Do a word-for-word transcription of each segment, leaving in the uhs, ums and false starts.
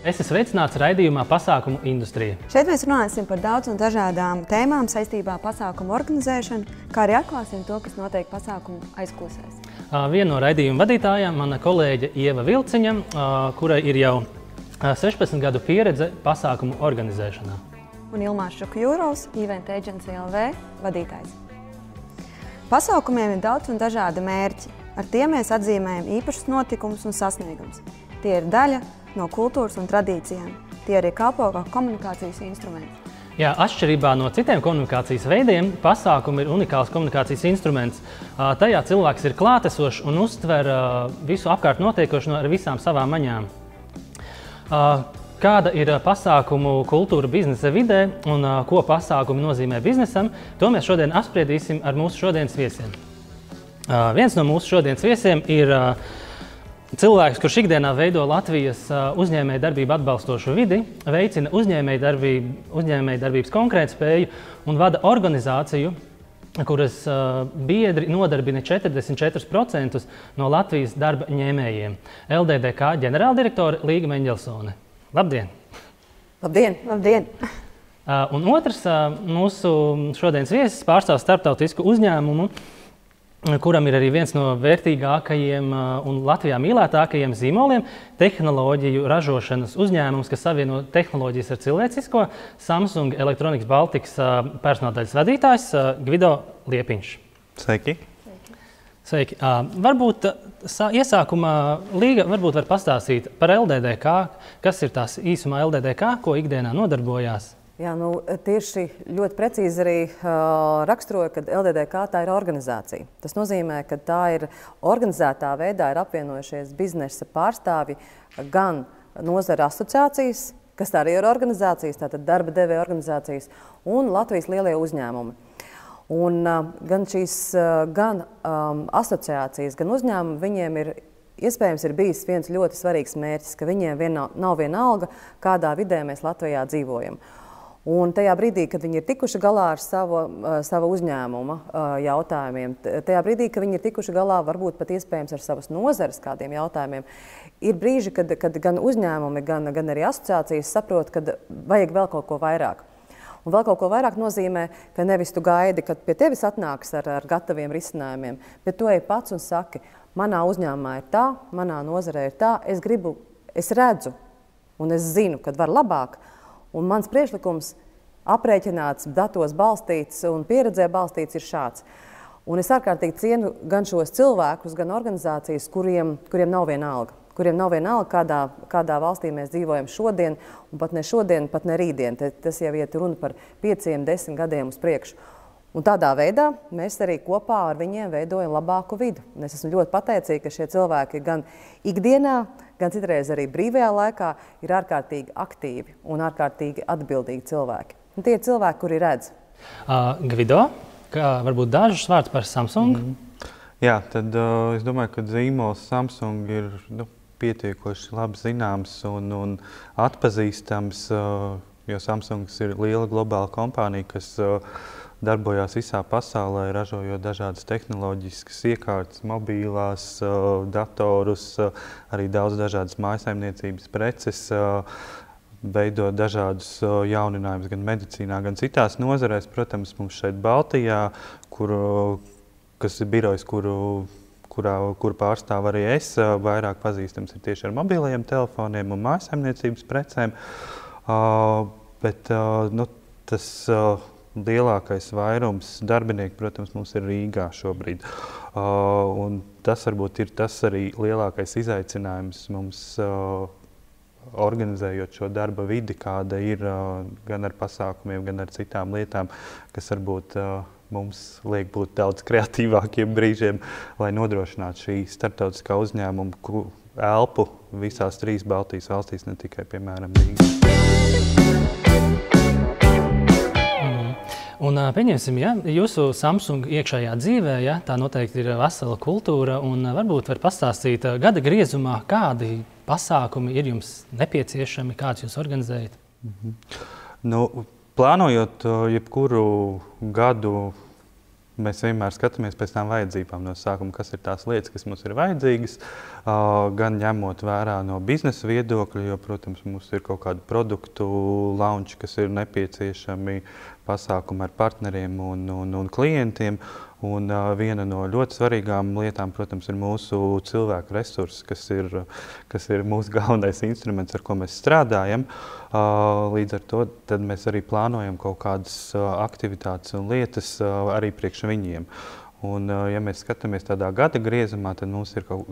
Esi sveicināts raidījumā Pasākumu industrija. Šeit mēs runāsim par daudz un dažādām tēmām saistībā pasākumu organizēšanu, kā arī atklāsim to, kas notiek pasākumu aizkulisēs. Viena no raidījuma vadītājām, mana kolēģe Ieva Vilciņa, kurai ir jau sešpadsmit gadu pieredze pasākumu organizēšanā. Un Ilmārs Šukjūrovs, Event Agency L V vadītājs. Pasākumiem ir daudz un dažādi mērķi. Ar tiem mēs atzīmējam īpašus notikumus un sasniegumus. Tie ir daļa no kultūras un tradīcijām. Tie arī kalpo kā komunikācijas instruments. Jā, atšķirībā no citiem komunikācijas veidiem, pasākumi ir unikāls komunikācijas instruments. Tajā cilvēks ir klātesošs un uztver visu apkārt notiekošo ar visām savām maņām. Kāda ir pasākumu kultūra biznesa vidē un ko pasākumi nozīmē biznesam, to mēs šodien apspriedīsim ar mūsu šodienas viesiem. Viens no mūsu šodienas viesiem ir cilvēks, kurš ikdienā veido Latvijas uzņēmēju darbību atbalstošu vidi, veicina uzņēmēju darbību, uzņēmēju darbības konkurētspēju un vada organizāciju, kuras biedri nodarbina četrdesmit četrus procentus no Latvijas darba ņēmējiem. L D D K ģenerāldirektore Līga Meņģelsone. Labdien! Labdien! Labdien! Un otrs mūsu šodienas viesis pārstāv starptautisku uzņēmumu, kuram ir arī viens no vērtīgākajiem un Latvijā mīlētākajiem zīmoliem – tehnoloģiju ražošanas uzņēmums, kas savieno tehnoloģijas ar cilvēcisko, Samsung Electronics Baltics personāldaļas vadītājs Gvido Liepiņš. Sveiki! Sveiki! Varbūt iesākumā Līga varbūt var pastāstīt par L D D K, kas ir tās īsumā L D D K, ko ikdienā nodarbojās? Jā, nu, tieši ļoti precīzi arī uh, raksturoja, ka L D D K tā ir organizācija. Tas nozīmē, ka tā ir organizētā veidā ir apvienojušies biznesa pārstāvi gan nozara asociācijas, kas tā arī ir organizācijas, tātad darba devēja organizācijas, un Latvijas lielie uzņēmumi. Un uh, gan šīs uh, gan um, asociācijas, gan uzņēmumi, viņiem ir iespējams ir bijis viens ļoti svarīgs mērķis, ka viņiem vien, nav vienalga, kādā vidē mēs Latvijā dzīvojam. Un tajā brīdī, kad viņi ir tikuši galā ar savu, savu uzņēmuma jautājumiem, tajā brīdī, kad viņi ir tikuši galā varbūt pat iespējams ar savas nozares kādiem jautājumiem, ir brīži, kad, kad gan uzņēmumi, gan, gan arī asociācijas saprot, ka vajag vēl kaut ko vairāk. Un vēl kaut ko vairāk nozīmē, ka nevis tu gaidi, kad pie tevis atnāks ar, ar gataviem risinājumiem, bet tu ej pats un saki, manā uzņēmumā ir tā, manā nozarē ir tā, es gribu, es redzu un es zinu, kad var labāk. Un mans priekšlikums aprēķināts, datos balstīts un pieredzē balstīts ir šāds. Un es ārkārtīgi cienu gan šos cilvēkus, gan organizācijas, kuriem, kuriem nav vienalga. Kuriem nav vienalga, kādā, kādā valstī mēs dzīvojam šodien, un pat ne šodien, pat ne rītdien. Tas jau iet runa par pieciem, desmit gadiem uz priekšu. Un tādā veidā mēs arī kopā ar viņiem veidojam labāku vidu. Un es esmu ļoti pateicīga, ka šie cilvēki gan ikdienā, gan citreiz arī brīvajā laikā ir ārkārtīgi aktīvi un ārkārtīgi atbildīgi cilvēki. Un tie ir cilvēki, kuri redz. Uh, Gvido, kā varbūt dažus vārdus par Samsung? Mm-hmm. Jā, tad uh, es domāju, ka zīmols Samsung ir nu, pietiekoši labi zināms un, un atpazīstams, uh, jo Samsungs ir liela globāla kompānija, kas uh, darbojās visā pasaulē, ražojot dažādas tehnoloģiskas iekārtas, mobīlās, datorus, arī daudz dažādas mājasaimniecības preces, veidot dažādus jauninājumus gan medicīnā, gan citās nozarēs. Protams, mums šeit Baltijā, kur, kas ir birojs, kuru, kurā, kur pārstāv arī es, vairāk pazīstams ir tieši ar mobilajiem telefoniem un mājasaimniecības precēm. Bet nu, tas lielākais vairums darbinieku, protams, mums ir Rīgā šobrīd. Uh, un tas varbūt ir tas arī lielākais izaicinājums mums uh, organizējot šo darba vidi, kāda ir uh, gan ar pasākumiem, gan ar citām lietām, kas varbūt uh, mums liek būt daudz kreatīvākiem brīžiem, lai nodrošinātu šī starptautiskā uzņēmuma elpu visās trīs Baltijas valstīs, ne tikai, piemēram, Rīgā. Un pieņemsim, ja, jūsu Samsung iekšējā dzīvē, ja, tā noteikti ir vesela kultūra, un varbūt var pastāstīt gada griezumā, kādi pasākumi ir jums nepieciešami, kāds jūs organizējat? Mm-hmm. Nu, plānojot jebkuru gadu mēs vienmēr skatāmies pēc tām vajadzībām no sākuma, kas ir tās lietas, kas mums ir vajadzīgas, gan ņemot vērā no biznesa viedokļa, jo, protams, mums ir kaut kādu produktu launči, kas ir nepieciešami, pasākumi ar partneriem un, un, un klientiem. Un uh, viena no ļoti svarīgām lietām, protams, ir mūsu cilvēku resursi, kas ir, kas ir mūsu galvenais instruments, ar ko mēs strādājam. Uh, līdz ar to tad mēs arī plānojam kaut kādas uh, aktivitātes un lietas uh, arī priekš viņiem. Un, uh, ja mēs skatāmies tādā gada griezumā, tad mums ir kaut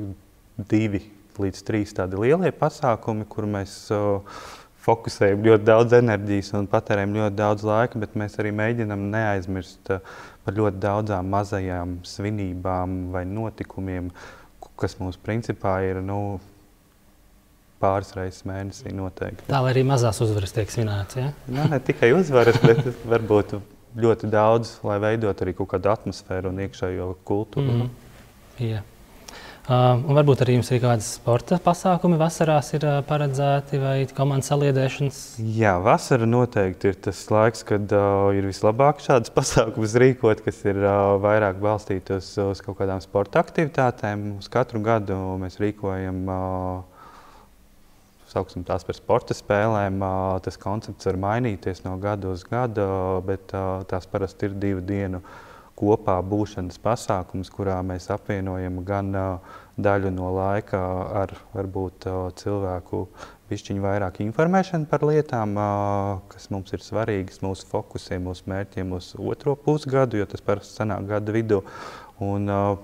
divi līdz trīs tādi lielie pasākumi, kur mēs uh, fokusējam ļoti daudz enerģijas un patērējam ļoti daudz laika, bet mēs arī mēģinam neaizmirst uh, par ļoti daudzām mazajām svinībām vai notikumiem, kas mums principā ir nu, pāris reizes mēnesī noteikti. Tā, lai arī mazās uzvaras tiek svinētas, ja? Nā, ne tikai uzvaras, bet varbūt ļoti daudz, lai veidot arī kaut kādu atmosfēru un iekšējo kultūru. Mm. Jā. Uh, un varbūt arī jums ir kādas sporta pasākumi vasarās ir uh, paredzēti vai komandas saliedēšanas? Jā, vasara noteikti ir tas laiks, kad uh, ir vislabāk šādas pasākumus rīkot, kas ir uh, vairāk balstīti uz, uz kaut kādām sporta aktivitātēm. Uz katru gadu mēs rīkojam, uh, sauksim tās par sporta spēlēm. Uh, tas koncepts var mainīties no gada uz gadu, bet uh, tās parasti ir divu dienu kopā būšanas pasākums, kurā mēs apvienojam gan uh, daļu no laika ar varbūt uh, cilvēku bišķiņu vairāk informēšanu par lietām, uh, kas mums ir svarīgas, mūsu fokusiem, mūsu mērķiem uz otro pusgadu, jo tas parasti sanāk gada vidū. Un, uh,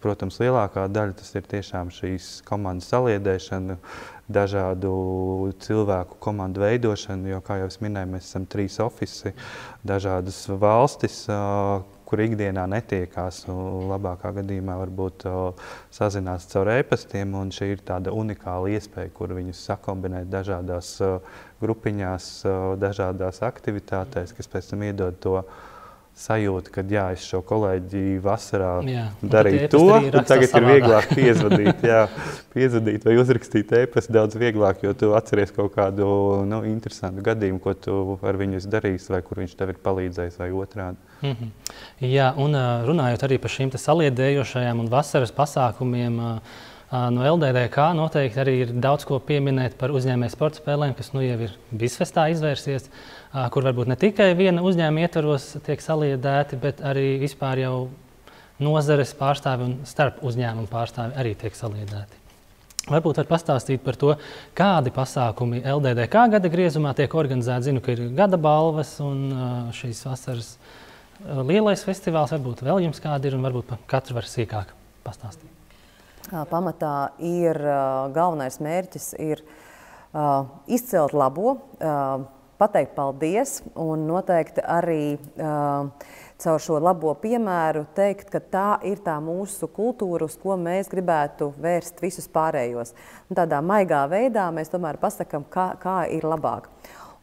protams, lielākā daļa tas ir tiešām šīs komandas saliedēšana, dažādu cilvēku komandu veidošanu, jo, kā jau es minēju, mēs esam trīs ofisi, dažādas valstis, uh, kur ikdienā netiekās, un labākā gadījumā varbūt uh, sazinās caur e-pastiem, un šī ir tāda unikāla iespēja, kur viņus sakombinēt dažādās uh, grupiņās, uh, dažādās aktivitātēs, kas pēc tam iedod to sajūta, ka jā, es šo kolēģi vasarā jā, darīju to, un tagad ir vieglāk piezvadīt, jā, piezvadīt vai uzrakstīt e-pastu daudz vieglāk, jo tu atceries kaut kādu nu, interesantu gadījumu, ko tu ar viņu esi darījis, vai kur viņš tev ir palīdzējis, vai otrādi. Mm-hmm. Jā, un runājot arī par šīm te saliedējošajām un vasaras pasākumiem, no L D D K noteikti arī ir daudz ko pieminēt par uzņēmēju sporta spēlēm, kas nu jau ir Bizfestā izvērsies, kur varbūt ne tikai viena uzņēmuma ietvaros tiek saliedēti, bet arī vispār jau nozares pārstāvi un starp uzņēmumu pārstāvi arī tiek saliedēti. Varbūt var pastāstīt par to, kādi pasākumi L D D K gada griezumā tiek organizēti. Zinu, ka ir gada balvas un šīs vasaras lielais festivāls, varbūt vēl jums kādi ir un varbūt par katru var sīkāk pastāstīt. Pamatā ir galvenais mērķis ir uh, izcelt labo, uh, pateikt paldies un noteikti arī uh, caur šo labo piemēru teikt, ka tā ir tā mūsu kultūra, uz ko mēs gribētu vērst visus pārējos. Un tādā maigā veidā mēs tomēr pasakam, kā, kā ir labāk.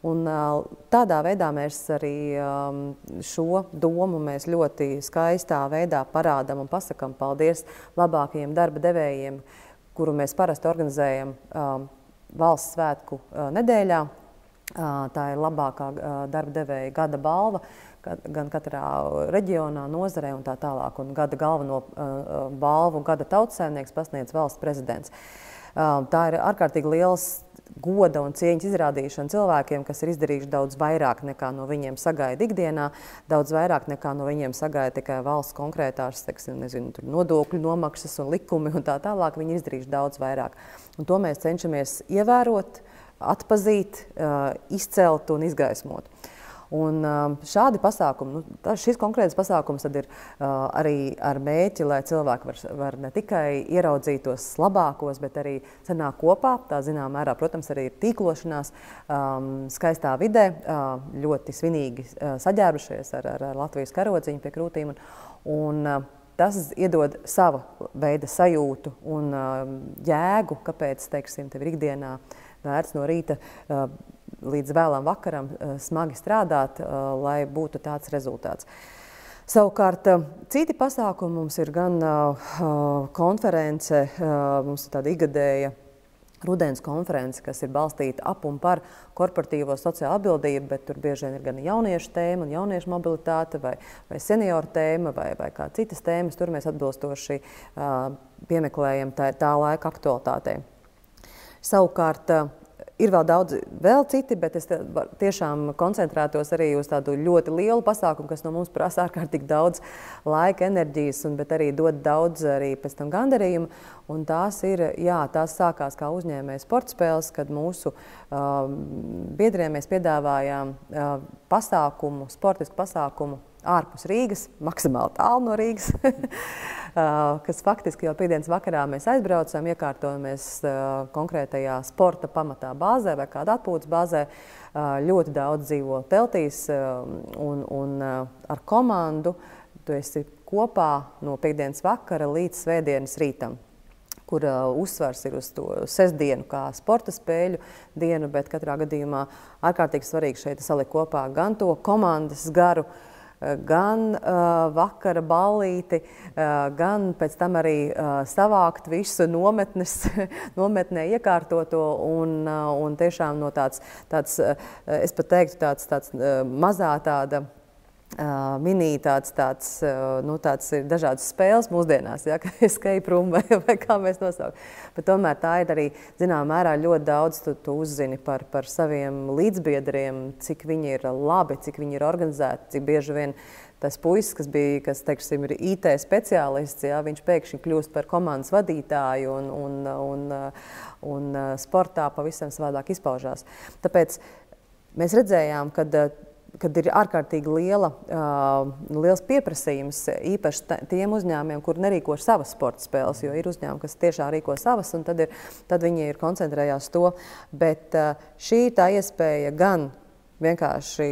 Un uh, tādā veidā mēs arī um, šo domu mēs ļoti skaistā veidā parādam un pasakam paldies labākajiem darba devējiem, kuru mēs parasti organizējam um, valsts svētku uh, nedēļā. Uh, tā ir labākā uh, darba devēja gada balva, gan katrā reģionā, nozarē un tā tālāk. Un gada galveno uh, balvu gada tautssaimnieks pasniedz valsts prezidents. Uh, tā ir ārkārtīgi liels goda un cieņas izrādīšana cilvēkiem, kas ir izdarījuši daudz vairāk nekā no viņiem sagaida ikdienā, daudz vairāk nekā no viņiem sagaida tikai valsts konkrētās, teiksim, nezinu, tur nodokļu nomaksas un likumi un tā tālāk. Viņi ir izdarījuši daudz vairāk. Un to mēs cenšamies ievērot, atpazīt, uh, izcelt un izgaismot. Un šādi pasākumi, nu, šis konkrēts pasākums tad ir uh, arī ar mēķi, lai cilvēki var, var ne tikai ieraudzīt tos labākos, bet arī sanāk kopā. Tā zinām mērā, protams, arī ir tīklošanās um, skaistā vidē, uh, ļoti svinīgi uh, saģērbušies ar, ar Latvijas karodziņu pie krūtīm. Un, un uh, tas iedod sava veida sajūtu un uh, jēgu, kāpēc, teiksim, tev ir ikdienā vērts no rīta uh, līdz vēlam vakaram smagi strādāt, lai būtu tāds rezultāts. Savukārt, citi pasākumi mums ir gan konference, mums ir tāda igadēja rudens konferenci, kas ir balstīta ap un par korporatīvo sociālo atbildību, bet tur bieži vien ir gan jauniešu tēma, un jauniešu mobilitāte, vai, vai senioru tēma, vai, vai kā citas tēmas. Tur mēs atbilstoši uh, piemeklējam tā, tā laika aktualitātei. Savukārt, uh, ir vēl daudz, vēl citi, bet es tiešām koncentrētos arī uz tādu ļoti lielu pasākumu, kas no mums prasa ārkārtīgi daudz laika, enerģijas, un, bet arī dod daudz arī pēc tam gandarījumu. Un tās ir, jā, tās sākās kā uzņēmēja sporta spēles, kad mūsu uh, biedriem mēs piedāvājām uh, pasākumu, sportisku pasākumu ārpus Rīgas, maksimāli tālu no Rīgas, kas faktiski jau piekdienas vakarā mēs aizbraucam, iekārtojamies konkrētajā sporta pamatā bāzē vai kāda atpūtas bāzē. Ļoti daudz dzīvo teltīs un, un ar komandu tu esi kopā no piekdienas vakara līdz svētdienas rītam, kur uh, uzsvars ir uz to sestdienu kā sporta spēļu dienu, bet katrā gadījumā ārkārtīgi svarīgi šeit salikt kopā gan to komandas garu, gan uh, vakara ballīti, uh, gan pēc tam arī uh, savākt visu nometnes, nometnē iekārtoto un, uh, un tiešām no tāds, tāds uh, es pat teiktu, tāds, tāds uh, mazā tāda Uh, mini tāds, tāds, uh, nu, tāds ir dažādas spēles mūsdienās, ja, escape room vai, vai kā mēs nosaukt. Bet tomēr tā ir arī, zinām, mērā ļoti daudz tu, tu uzzini par, par saviem līdzbiedriem, cik viņi ir labi, cik viņi ir organizēti, cik bieži vien tas puisis, kas bija, kas, teiksim, ir I T speciālists, ja, viņš pēkšņi kļūst par komandas vadītāju un, un, un, un sportā pavisam savādāk izpaužās. Tāpēc mēs redzējām, kad kad ir ārkārtīgi liela, uh, liels pieprasījums īpaši tiem uzņēmumiem, kur nerīko savas sporta spēles, jo ir uzņēmumi, kas tiešām rīko savas, un tad, ir, tad viņi ir koncentrējās to. Bet uh, šī tā iespēja gan vienkārši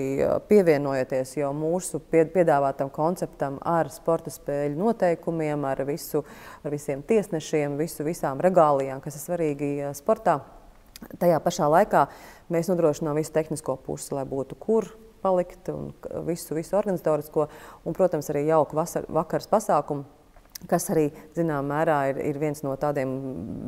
pievienojoties jau mūsu piedāvātam konceptam ar sporta spēļu noteikumiem, ar, visu, ar visiem tiesnešiem, visu, visām regālijām, kas ir svarīgi sportā. Tajā pašā laikā mēs nodrošinām visu tehnisko pusi, lai būtu kur palikt un visu, visu organizatorisko un, protams, arī jauku vasar, vakars pasākumu, kas arī, zinām, mērā ir, ir viens no tādiem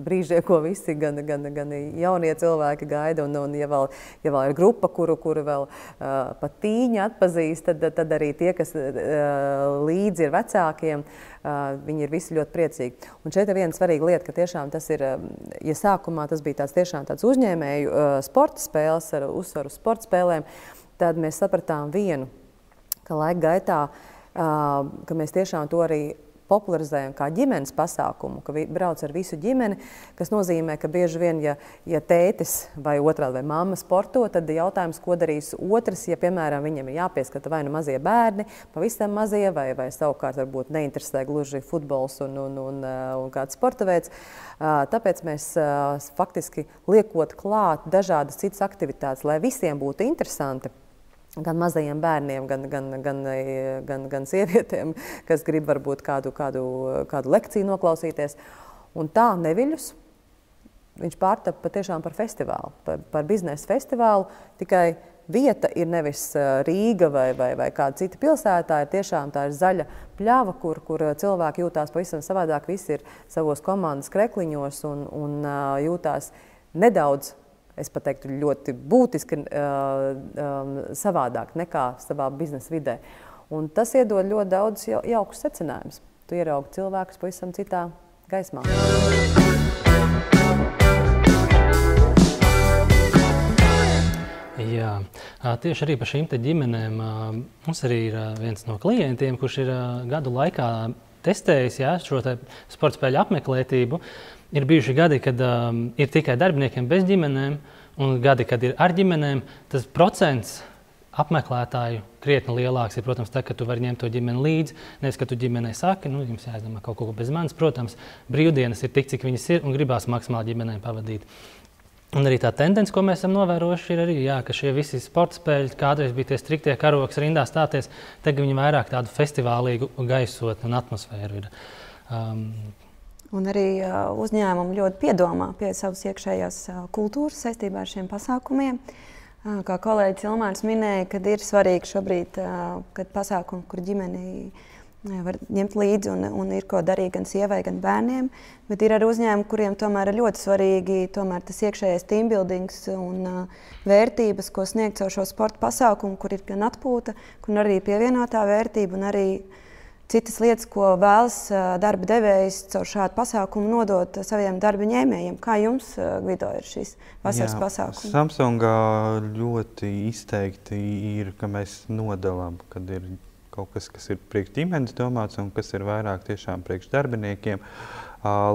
brīžiem, ko visi, gan, gan, gan jaunie cilvēki gaida, un, un ja, vēl, ja vēl ir grupa, kuru, kuru vēl uh, pat tīņi atpazīst, tad, tad arī tie, kas uh, līdzi ir vecākiem, uh, viņi ir visi ļoti priecīgi. Un šeit ir viena svarīga lieta, ka tiešām tas ir, ja sākumā tas bija tāds tiešām tāds uzņēmēju uh, sporta spēles ar uzsvaru sporta spēlēm, tad mēs sapratām vienu, ka laika gaitā, uh, ka mēs tiešām to arī popularizējam kā ģimenes pasākumu, ka brauc ar visu ģimeni, kas nozīmē, ka bieži vien, ja, ja tētis vai otrādi vai mamma sporto, tad jautājums, ko darīs otrs, ja, piemēram, viņam ir jāpieskata vai nu mazie bērni, pavisam mazie, vai, vai savukārt varbūt neinteresē gluži futbols un, un, un, un kāds sporta veids. Tāpēc mēs faktiski liekot klāt dažādas citas aktivitātes, lai visiem būtu interesanti. Gan mazajiem bērniem, gan, gan, gan, gan, gan sievietēm, kas grib varbūt kādu, kādu, kādu lekciju noklausīties. Un tā neviļus, viņš pārtapa patiešām par festivālu, par, par biznesa festivālu, tikai vieta ir nevis Rīga vai, vai, vai kāda cita pilsētā, ir tiešām tā ir zaļa pļava, kur, kur cilvēki jūtās pavisam savādāk, visi ir savos komandas krekliņos un, un jūtās nedaudz, es pat teiktu, ļoti būtiski uh, um, savādāk nekā savā biznesa vidē. Un tas iedod ļoti daudz jau, jaukus secinājumus. Tu ieraugi cilvēkus pavisam citā gaismā. Jā, tieši arī par šīm te ģimenēm. Mums arī ir viens no klientiem, kurš ir gadu laikā testējis, jā, šo te sporta spēļu apmeklētību. Ir bijuši gadi, kad um, ir tikai darbiniekiem bez ģimenēm, un gadi, kad ir ar ģimenēm, tas procents apmeklētāju krietni lielāks ir, protams, tā, ka tu vari ņemt to ģimeni līdzi. Nevis, ka tu ģimenei saki, nu, jums jāizdomā kaut ko bez manis. Protams, brīvdienas ir tik, cik viņas ir, un gribās maksimāli ģimenei pavadīt. Un arī tā tendence, ko mēs esam novērojuši, ir arī, jā, ka šie visi sporta spēļi, kādreiz bija tie striktie karoks rindā stāties, tagad viņi vairāk tādu festivālīgu gaisotni un atmosfēru ir. Um, Un arī uh, uzņēmumi ļoti piedomā pie savas iekšējās uh, kultūras saistībā ar šiem pasākumiem. Uh, kā kolēģis Ilmārs minēja, kad ir svarīgi šobrīd, uh, kad pasākumi, kur ģimeni var ņemt līdzi un, un ir ko darīt gan sievai, gan bērniem. Bet ir arī uzņēmumi, kuriem tomēr ir ļoti svarīgi tomēr tas iekšējais teambuildings un uh, vērtības, ko sniegt caur šo sporta pasākumu, kur ir gan atpūta, kur arī pievienotā vērtība un arī citas lietas, ko vēlas darba devējs caur šādu pasākumu nodot saviem darba ņēmējiem. Kā jums, Gvido, ir šīs vasaras Jā, pasākumi? Samsungā ļoti izteikti ir, ka mēs nodalām, kad ir kaut kas, kas ir priekš ģimenes domāts un kas ir vairāk tiešām priekš darbiniekiem.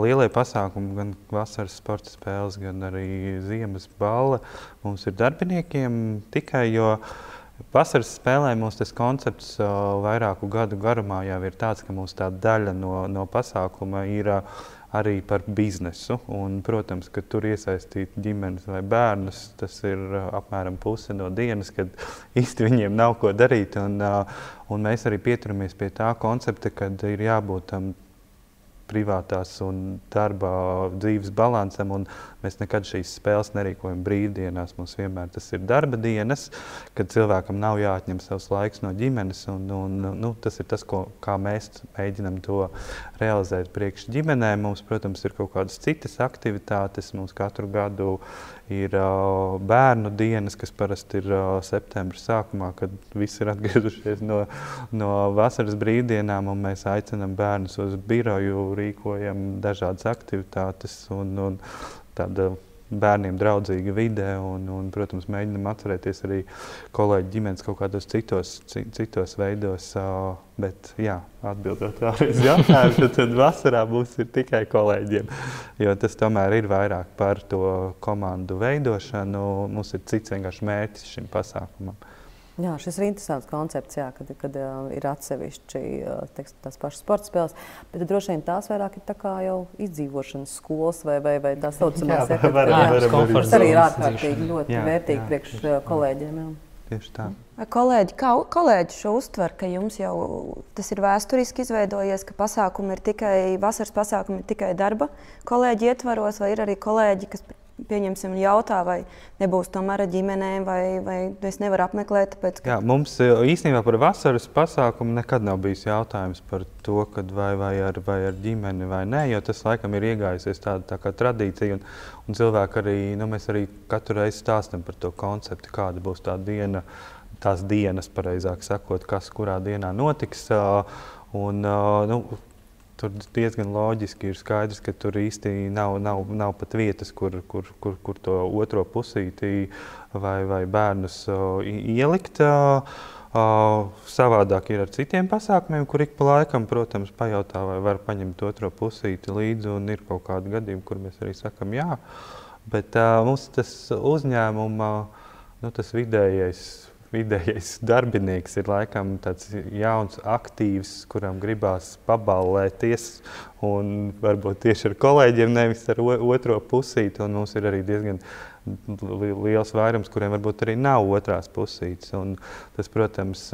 Lielie pasākumi, gan vasaras sporta spēles, gan arī ziemas balle mums ir darbiniekiem tikai, jo vasaras spēlē mums tas koncepts uh, vairāku gadu garumā jau ir tāds, ka mums tā daļa no, no pasākuma ir uh, arī par biznesu. Un, protams, ka tur iesaistīt ģimenes vai bērnus, tas ir uh, apmēram puse no dienas, kad īsti viņiem nav ko darīt. Un, uh, un mēs arī pieturamies pie tā koncepta, kad ir jābūt tam um, privātās un darba dzīves balansam, un mēs nekad šīs spēles nerīkojam brīvdienās. Mums vienmēr tas ir darba dienas, kad cilvēkam nav jāatņem savs laiks no ģimenes, un, un nu, tas ir tas, ko, kā mēs mēģinam to realizēt priekš ģimenēm. Mums, protams, ir kaut kādas citas aktivitātes. Mums katru gadu ir uh, bērnu dienas, kas parasti ir uh, septembra sākumā, kad visi ir atgriezušies no, no vasaras brīvdienām, un mēs aicinam bērnus uz biroju, rīkojam dažādas aktivitātes un, un tāda bērniem draudzīga vide un, un, protams, mēģinam atcerēties arī kolēģi ģimenes kaut kādos citos, citos veidos, uh, bet, jā, atbildot vēlreiz jautājumu, tad, tad vasarā būs ir tikai kolēģiem, jo tas tomēr ir vairāk par to komandu veidošanu, mums ir cits vienkārši mērķis šim pasākumam. Jā, šis ir interesants koncepts, jā, kad, kad uh, ir atsevišķi uh, teiks, tās pašas sporta spēles, bet droši vien tās vairāk ir tā kā jau izdzīvošanas skolas vai, vai, vai tā saucamās efektīvas. Tas arī ir ārkārtīgi ļoti jā, vērtīgi jā, priekš uh, kolēģiem. Jā. Tieši tā. Vai kolēģi, kā kolēģi šo uztver, ka jums jau tas ir vēsturiski izveidojies, ka pasākumi ir tikai, vasaras pasākumi ir tikai darba kolēģi ietvaros, vai ir arī kolēģi, kas pieņemsim jautā, vai nebūs tomēr ar ģimenēm, vai, vai es nevaru apmeklēt, tāpēc, ka... Jā, mums īstenībā par vasaras pasākumu nekad nav bijis jautājums par to, kad vai, vai, ar, vai ar ģimeni vai nē, jo tas laikam ir iegājusies tāda tā kā tradīcija, un, un cilvēki arī, nu, mēs arī katru reizi stāstam par to konceptu, kāda būs tā diena, tās dienas, pareizāk sakot, kas kurā dienā notiks, un, nu, tur diezgan loģiski ir skaidrs, ka tur īsti nav, nav, nav pat vietas, kur, kur, kur, kur to otro pusīti vai, vai bērnus uh, ielikt. Uh, uh, savādāk ir ar citiem pasākumiem, kur ik pa laikam, protams, pajautā, vai var paņemt otro pusīti līdzi, un ir kaut kādi gadījumi, kur mēs arī sakam jā. Bet uh, mums tas uzņēmuma, nu, tas vidējais, vidējais darbinieks ir laikam tāds jauns, aktīvs, kuram gribās paballēties un varbūt tieši ar kolēģiem, nevis ar otro pusīti. Un mums ir arī diezgan liels vairums, kuriem varbūt arī nav otrās pusītes. Un tas, protams,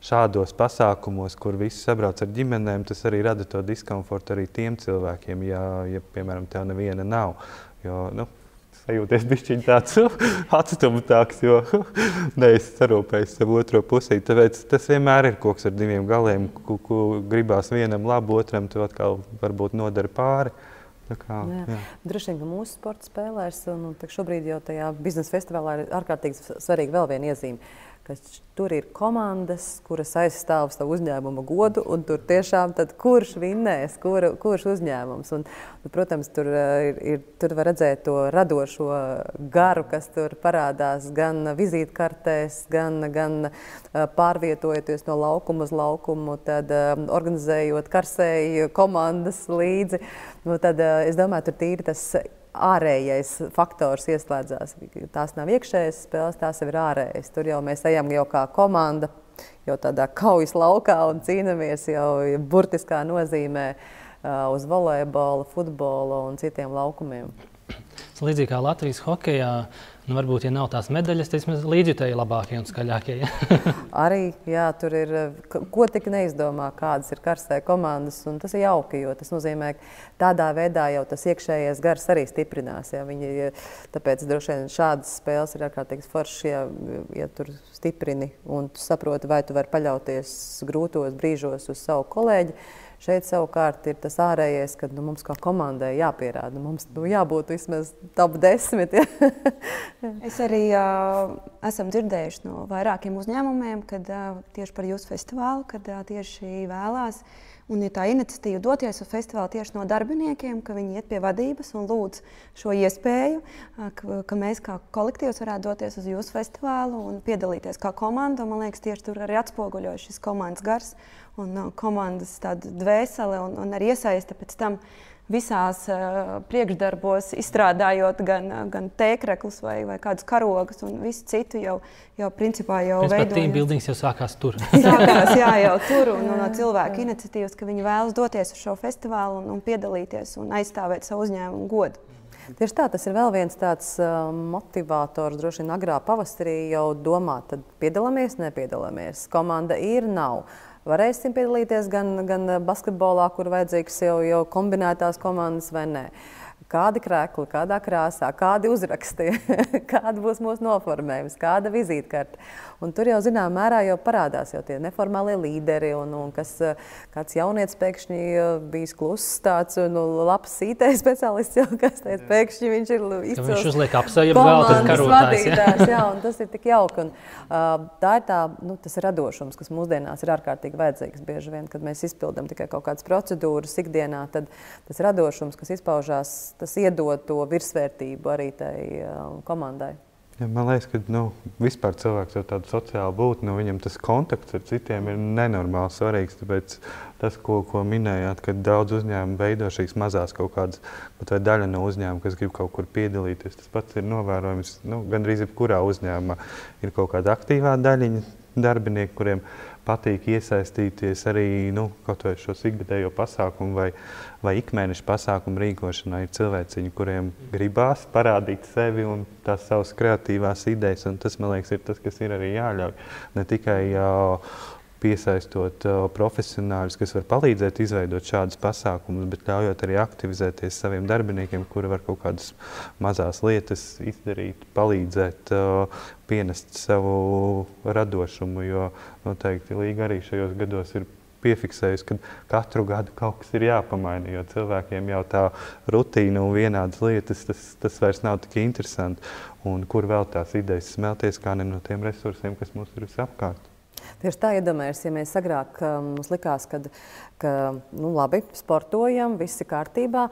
šādos pasākumos, kur visi sabrauc ar ģimenēm, tas arī rada to diskomfortu arī tiem cilvēkiem, ja, ja piemēram, tev neviena nav. Jo, nu, sajūties bišķiņ tāds atstumtāks, jo neesi sarūpējis savu otro pusīti. Tāpēc tas vienmēr ir koks ar diviem galiem, ku, ku gribās vienam labu, otram tu atkal varbūt nodara pāri. Tā kā, jā. Jā. Droši vien, ka mūsu sporta spēlēs, un šobrīd jau tajā biznesa festivālā ir ārkārtīgi svarīga vēl viena iezīme, ka tur ir komandas, kuras aizstāv savu uzņēmuma godu, un tur tiešām tad kurš vinnēs, kur, kurš uzņēmums. Un, un, protams, tur, ir, ir, tur var redzēt to radošo garu, kas tur parādās gan vizītkartēs, gan, gan pārvietojoties no laukuma uz laukumu, tad organizējot karsēju komandas līdzi. Nu, tad, es domāju, tur tīri tas ārējais faktors ieslēdzās. Tās nav iekšējas spēles, tās jau ir ārējas. Tur jau mēs ejam jau kā komanda, jau tādā kaujas laukā un cīnamies jau burtiskā nozīmē uh, uz volejbola, futbola un citiem laukumiem. līdzīgi kā Latvijas hokejā, nu, varbūt, ja nav tās medaļas, tad vismaz līdzjutēji labākie un skaļākie. Ja? Arī, jā, tur ir, ko tik neizdomā, kādas ir karstē komandas, un tas ir jauki, jo tas nozīmē, ka tādā veidā jau tas iekšējais gars arī stiprinās. Ja? Viņi, tāpēc droši vien šādas spēles ir ārkārtīgi foršas, ja, ja tur stiprini un tu saproti, vai tu vari paļauties grūtos brīžos uz savu kolēģi. Šeit savukārt ir tas ārējais, ka nu, mums kā komandai jāpierāda. Mums nu, jābūt vismaz top desmit. Ja? Es arī uh, esam dzirdējuši no vairākiem uzņēmumiem, kad uh, tieši par jūsu festivālu, kad uh, tieši vēlās. Un ir tā iniciatīva doties uz festivālu tieši no darbiniekiem, ka viņi iet pie vadības un lūdz šo iespēju, ka, ka mēs kā kolektīvs varētu doties uz jūsu festivālu un piedalīties kā komanda. Un, man liekas, tieši tur arī atspoguļojas šis komandas gars un uh, komandas tāda dvēsele un, un arī iesaiste pēc tam visās uh, priekšdarbos, izstrādājot gan, gan tēkreklus vai, vai kādus karogus un visu citu jau, jau principā jau veidojot. Principā team buildings jau sākās tur. Sākās, jā, jau tur un, un no cilvēku iniciatīvas, ka viņi vēlas doties uz šo festivālu un, un piedalīties un aizstāvēt savu uzņēmumu godu. Tieši tā, tas ir vēl viens tāds uh, motivators, droši vien agrā pavasarī jau domāt, tad piedalāmies, nepiedalāmies. Komanda ir, nav. Varēsim piedalīties gan, gan basketbolā, kur vajadzīgs jau, jau kombinētās komandas vai nē. Kādi krēkli, kādā krāsā, kādi uzraksti, kāda būs mūsu noformējums, kāda vizītkarte. Un tur jau zinām mērā jau parādās jau tie neformālie līderi, un, un kas, kāds jaunietis pēkšņi bijis kluss tāds, nu, labs I T speciālists jau, kas teica, pēkšņi viņš ir izcils. Viņš uzliek apseju, vēl tas karotājs. Ja? Jā, un tas ir tik jauki. Un, uh, tā ir tā, nu, tas radošums, kas mūsdienās ir ārkārtīgi vajadzīgs. Bieži vien, kad mēs izpildam tikai kaut kādas procedūras ikdienā, tad tas radošums, kas izpaužās, tas iedod to virsvērtību arī tai uh, komandai. Ja, man liekas, ka nu, vispār cilvēks ir tāds sociāli būt, nu, viņam tas kontakts ar citiem ir nenormāli svarīgs. Tāpēc tas, ko, ko minējāt, ka daudz uzņēmumu veido šīs mazās kaut kādas, vai daļa no uzņēmuma, kas grib kaut kur piedalīties, tas pats ir novērojams, nu, gandrīz jebkurā uzņēmumā ir kaut kāda aktīvā daļiņa darbinieki, kuriem patīk iesaistīties arī nu, kaut vai šo ikgadējo pasākumu vai, vai ikmēneša pasākumu rīkošanā. Ir cilvēciņi, kuriem gribās parādīt sevi un tās savas kreatīvās idejas, un tas, man liekas, ir tas, kas ir arī jāļauj. Ne tikai uh, piesaistot uh, profesionāļus, kas var palīdzēt izveidot šādus pasākumus, bet ļaujot arī aktivizēties saviem darbiniekiem, kuri var kaut kādas mazās lietas izdarīt, palīdzēt, uh, pienest savu radošumu, jo noteikti Līga arī šajos gados ir piefiksējusi, ka katru gadu kaut kas ir jāpamaina, jo cilvēkiem jau tā rutīna un vienādas lietas, tas, tas vairs nav tik interesanti. Un kur vēl tās idejas smelties, kā ne no tiem resursiem, kas mums ir visapkārt. Tieši tā iedomājies, ja mēs agrāk mums likās, kad, ka nu, labi, sportojam, viss ir kārtībā.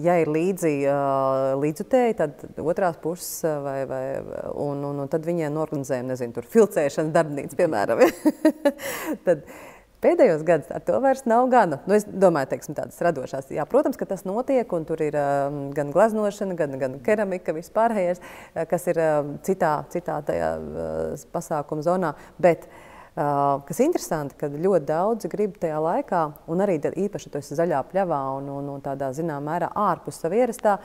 Ja ir līdzi līdzjutēji, tad otrās puses, vai, vai, un, un, un tad viņiem norganizējam, nezinu, tur filcēšanas darbnīca, piemēram. Tad pēdējos gados ar to vairs nav gana. Nu, es domāju, teiksim, tādas radošās. Jā, protams, ka tas notiek, un tur ir uh, gan gleznošana, gan, gan keramika, vispārējais, uh, kas ir uh, citā, citā tajā uh, pasākuma zonā. Bet, uh, kas interesanti, kad ļoti daudzi grib tajā laikā, un arī īpaši to zaļā pļavā un, un, un tādā zinām mērā ārpus savu ierastā,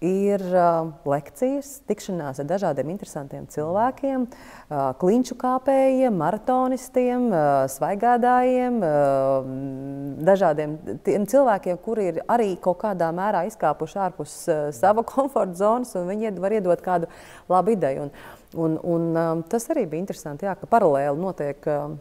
ir uh, lekcijas, tikšanās ar dažādiem interesantiem cilvēkiem, uh, klinču kāpējiem, maratonistiem, uh, svaigādājiem, uh, dažādiem tiem cilvēkiem, kuri ir arī kaut kādā mērā izkāpuši ārpus uh, sava komforta zonas, un viņi var iedot kādu labu ideju. Un, un, un um, tas arī bija interesanti, jā, ka paralēli notiek uh,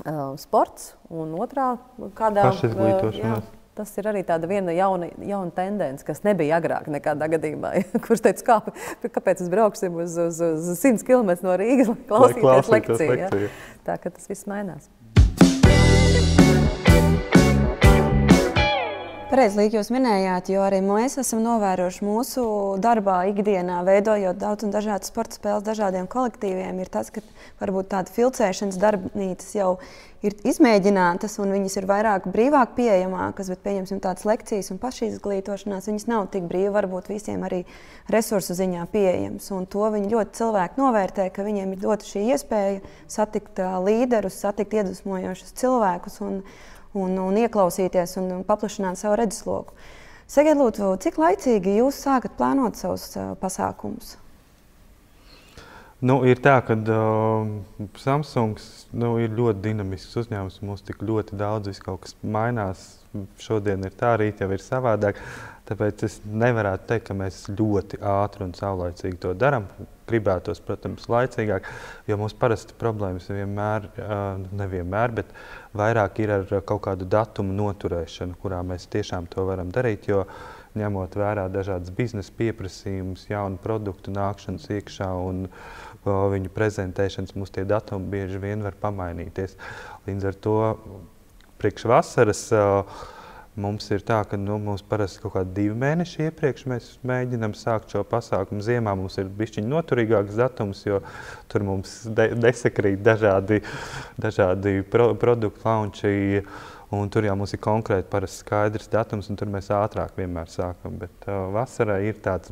uh, sports, un otrā kādā... Pašizglītošanās. Uh, Tas ir arī tāda viena jauna, jauna tendence, kas nebija agrāk nekādā gadījumā. Kurš teica, kā, kāpēc es brauksim uz, uz, uz simts kilometrus no Rīgas, lai klausīties, lai klausītos lekciju. lekciju. Ja? Tā ka tas viss mainās. Pareizi, Līga, jūs minējāt, jo arī mēs esam novērojuši mūsu darbā ikdienā, veidojot daudz un dažādas sporta spēles dažādiem kolektīviem, ir tas, ka varbūt tāda filcēšanas darbnīcas jau ir izmēģinātas un viņas ir vairāk brīvāk pieejamākas, bet pieņemsim tādas lekcijas un pašizglītošanās, viņas nav tik brīvi, varbūt visiem arī resursu ziņā pieejams. Un to viņi ļoti cilvēki novērtē, ka viņiem ir dota šī iespēja satikt līderus, satikt iedvesmojošus cilvēkus un Un, un ieklausīties un paplašināt savu redzesloku. Sakiet, lūdzu, cik laicīgi jūs sākat plānot savus uh, pasākumus? Nu, ir tā, ka uh, Samsungs nu, ir ļoti dinamisks uzņēmums. Mums tik ļoti daudz viss kaut kas mainās. Šodien ir tā, rīt jau ir savādāk. Tāpēc es nevarētu teikt, ka mēs ļoti ātri un saulaicīgi to darām. Gribētos, protams, laicīgāk, jo mums parasti problēmas vienmēr, uh, nevienmēr, bet vairāk ir ar kaut kādu datumu noturēšanu, kurā mēs tiešām to varam darīt, jo ņemot vērā dažādas biznesa pieprasījumus, jaunu produktu nākšanas iekšā un o, viņu prezentēšanas, mums tie datumi bieži vien var pamainīties. Līdz ar to priekš vasaras o, mums ir tā, ka nu, mums parasti kaut kādi divi mēneši iepriekš mēs mēģinam sākt šo pasākumu. Ziemā mums ir bišķiņ noturīgāks datums, jo tur mums de desakrīt dažādi, dažādi pro produktu launči. Un tur jau mums ir konkrēti parasti skaidrs datums, un tur mēs ātrāk vienmēr sākam. Bet uh, vasarā ir tāds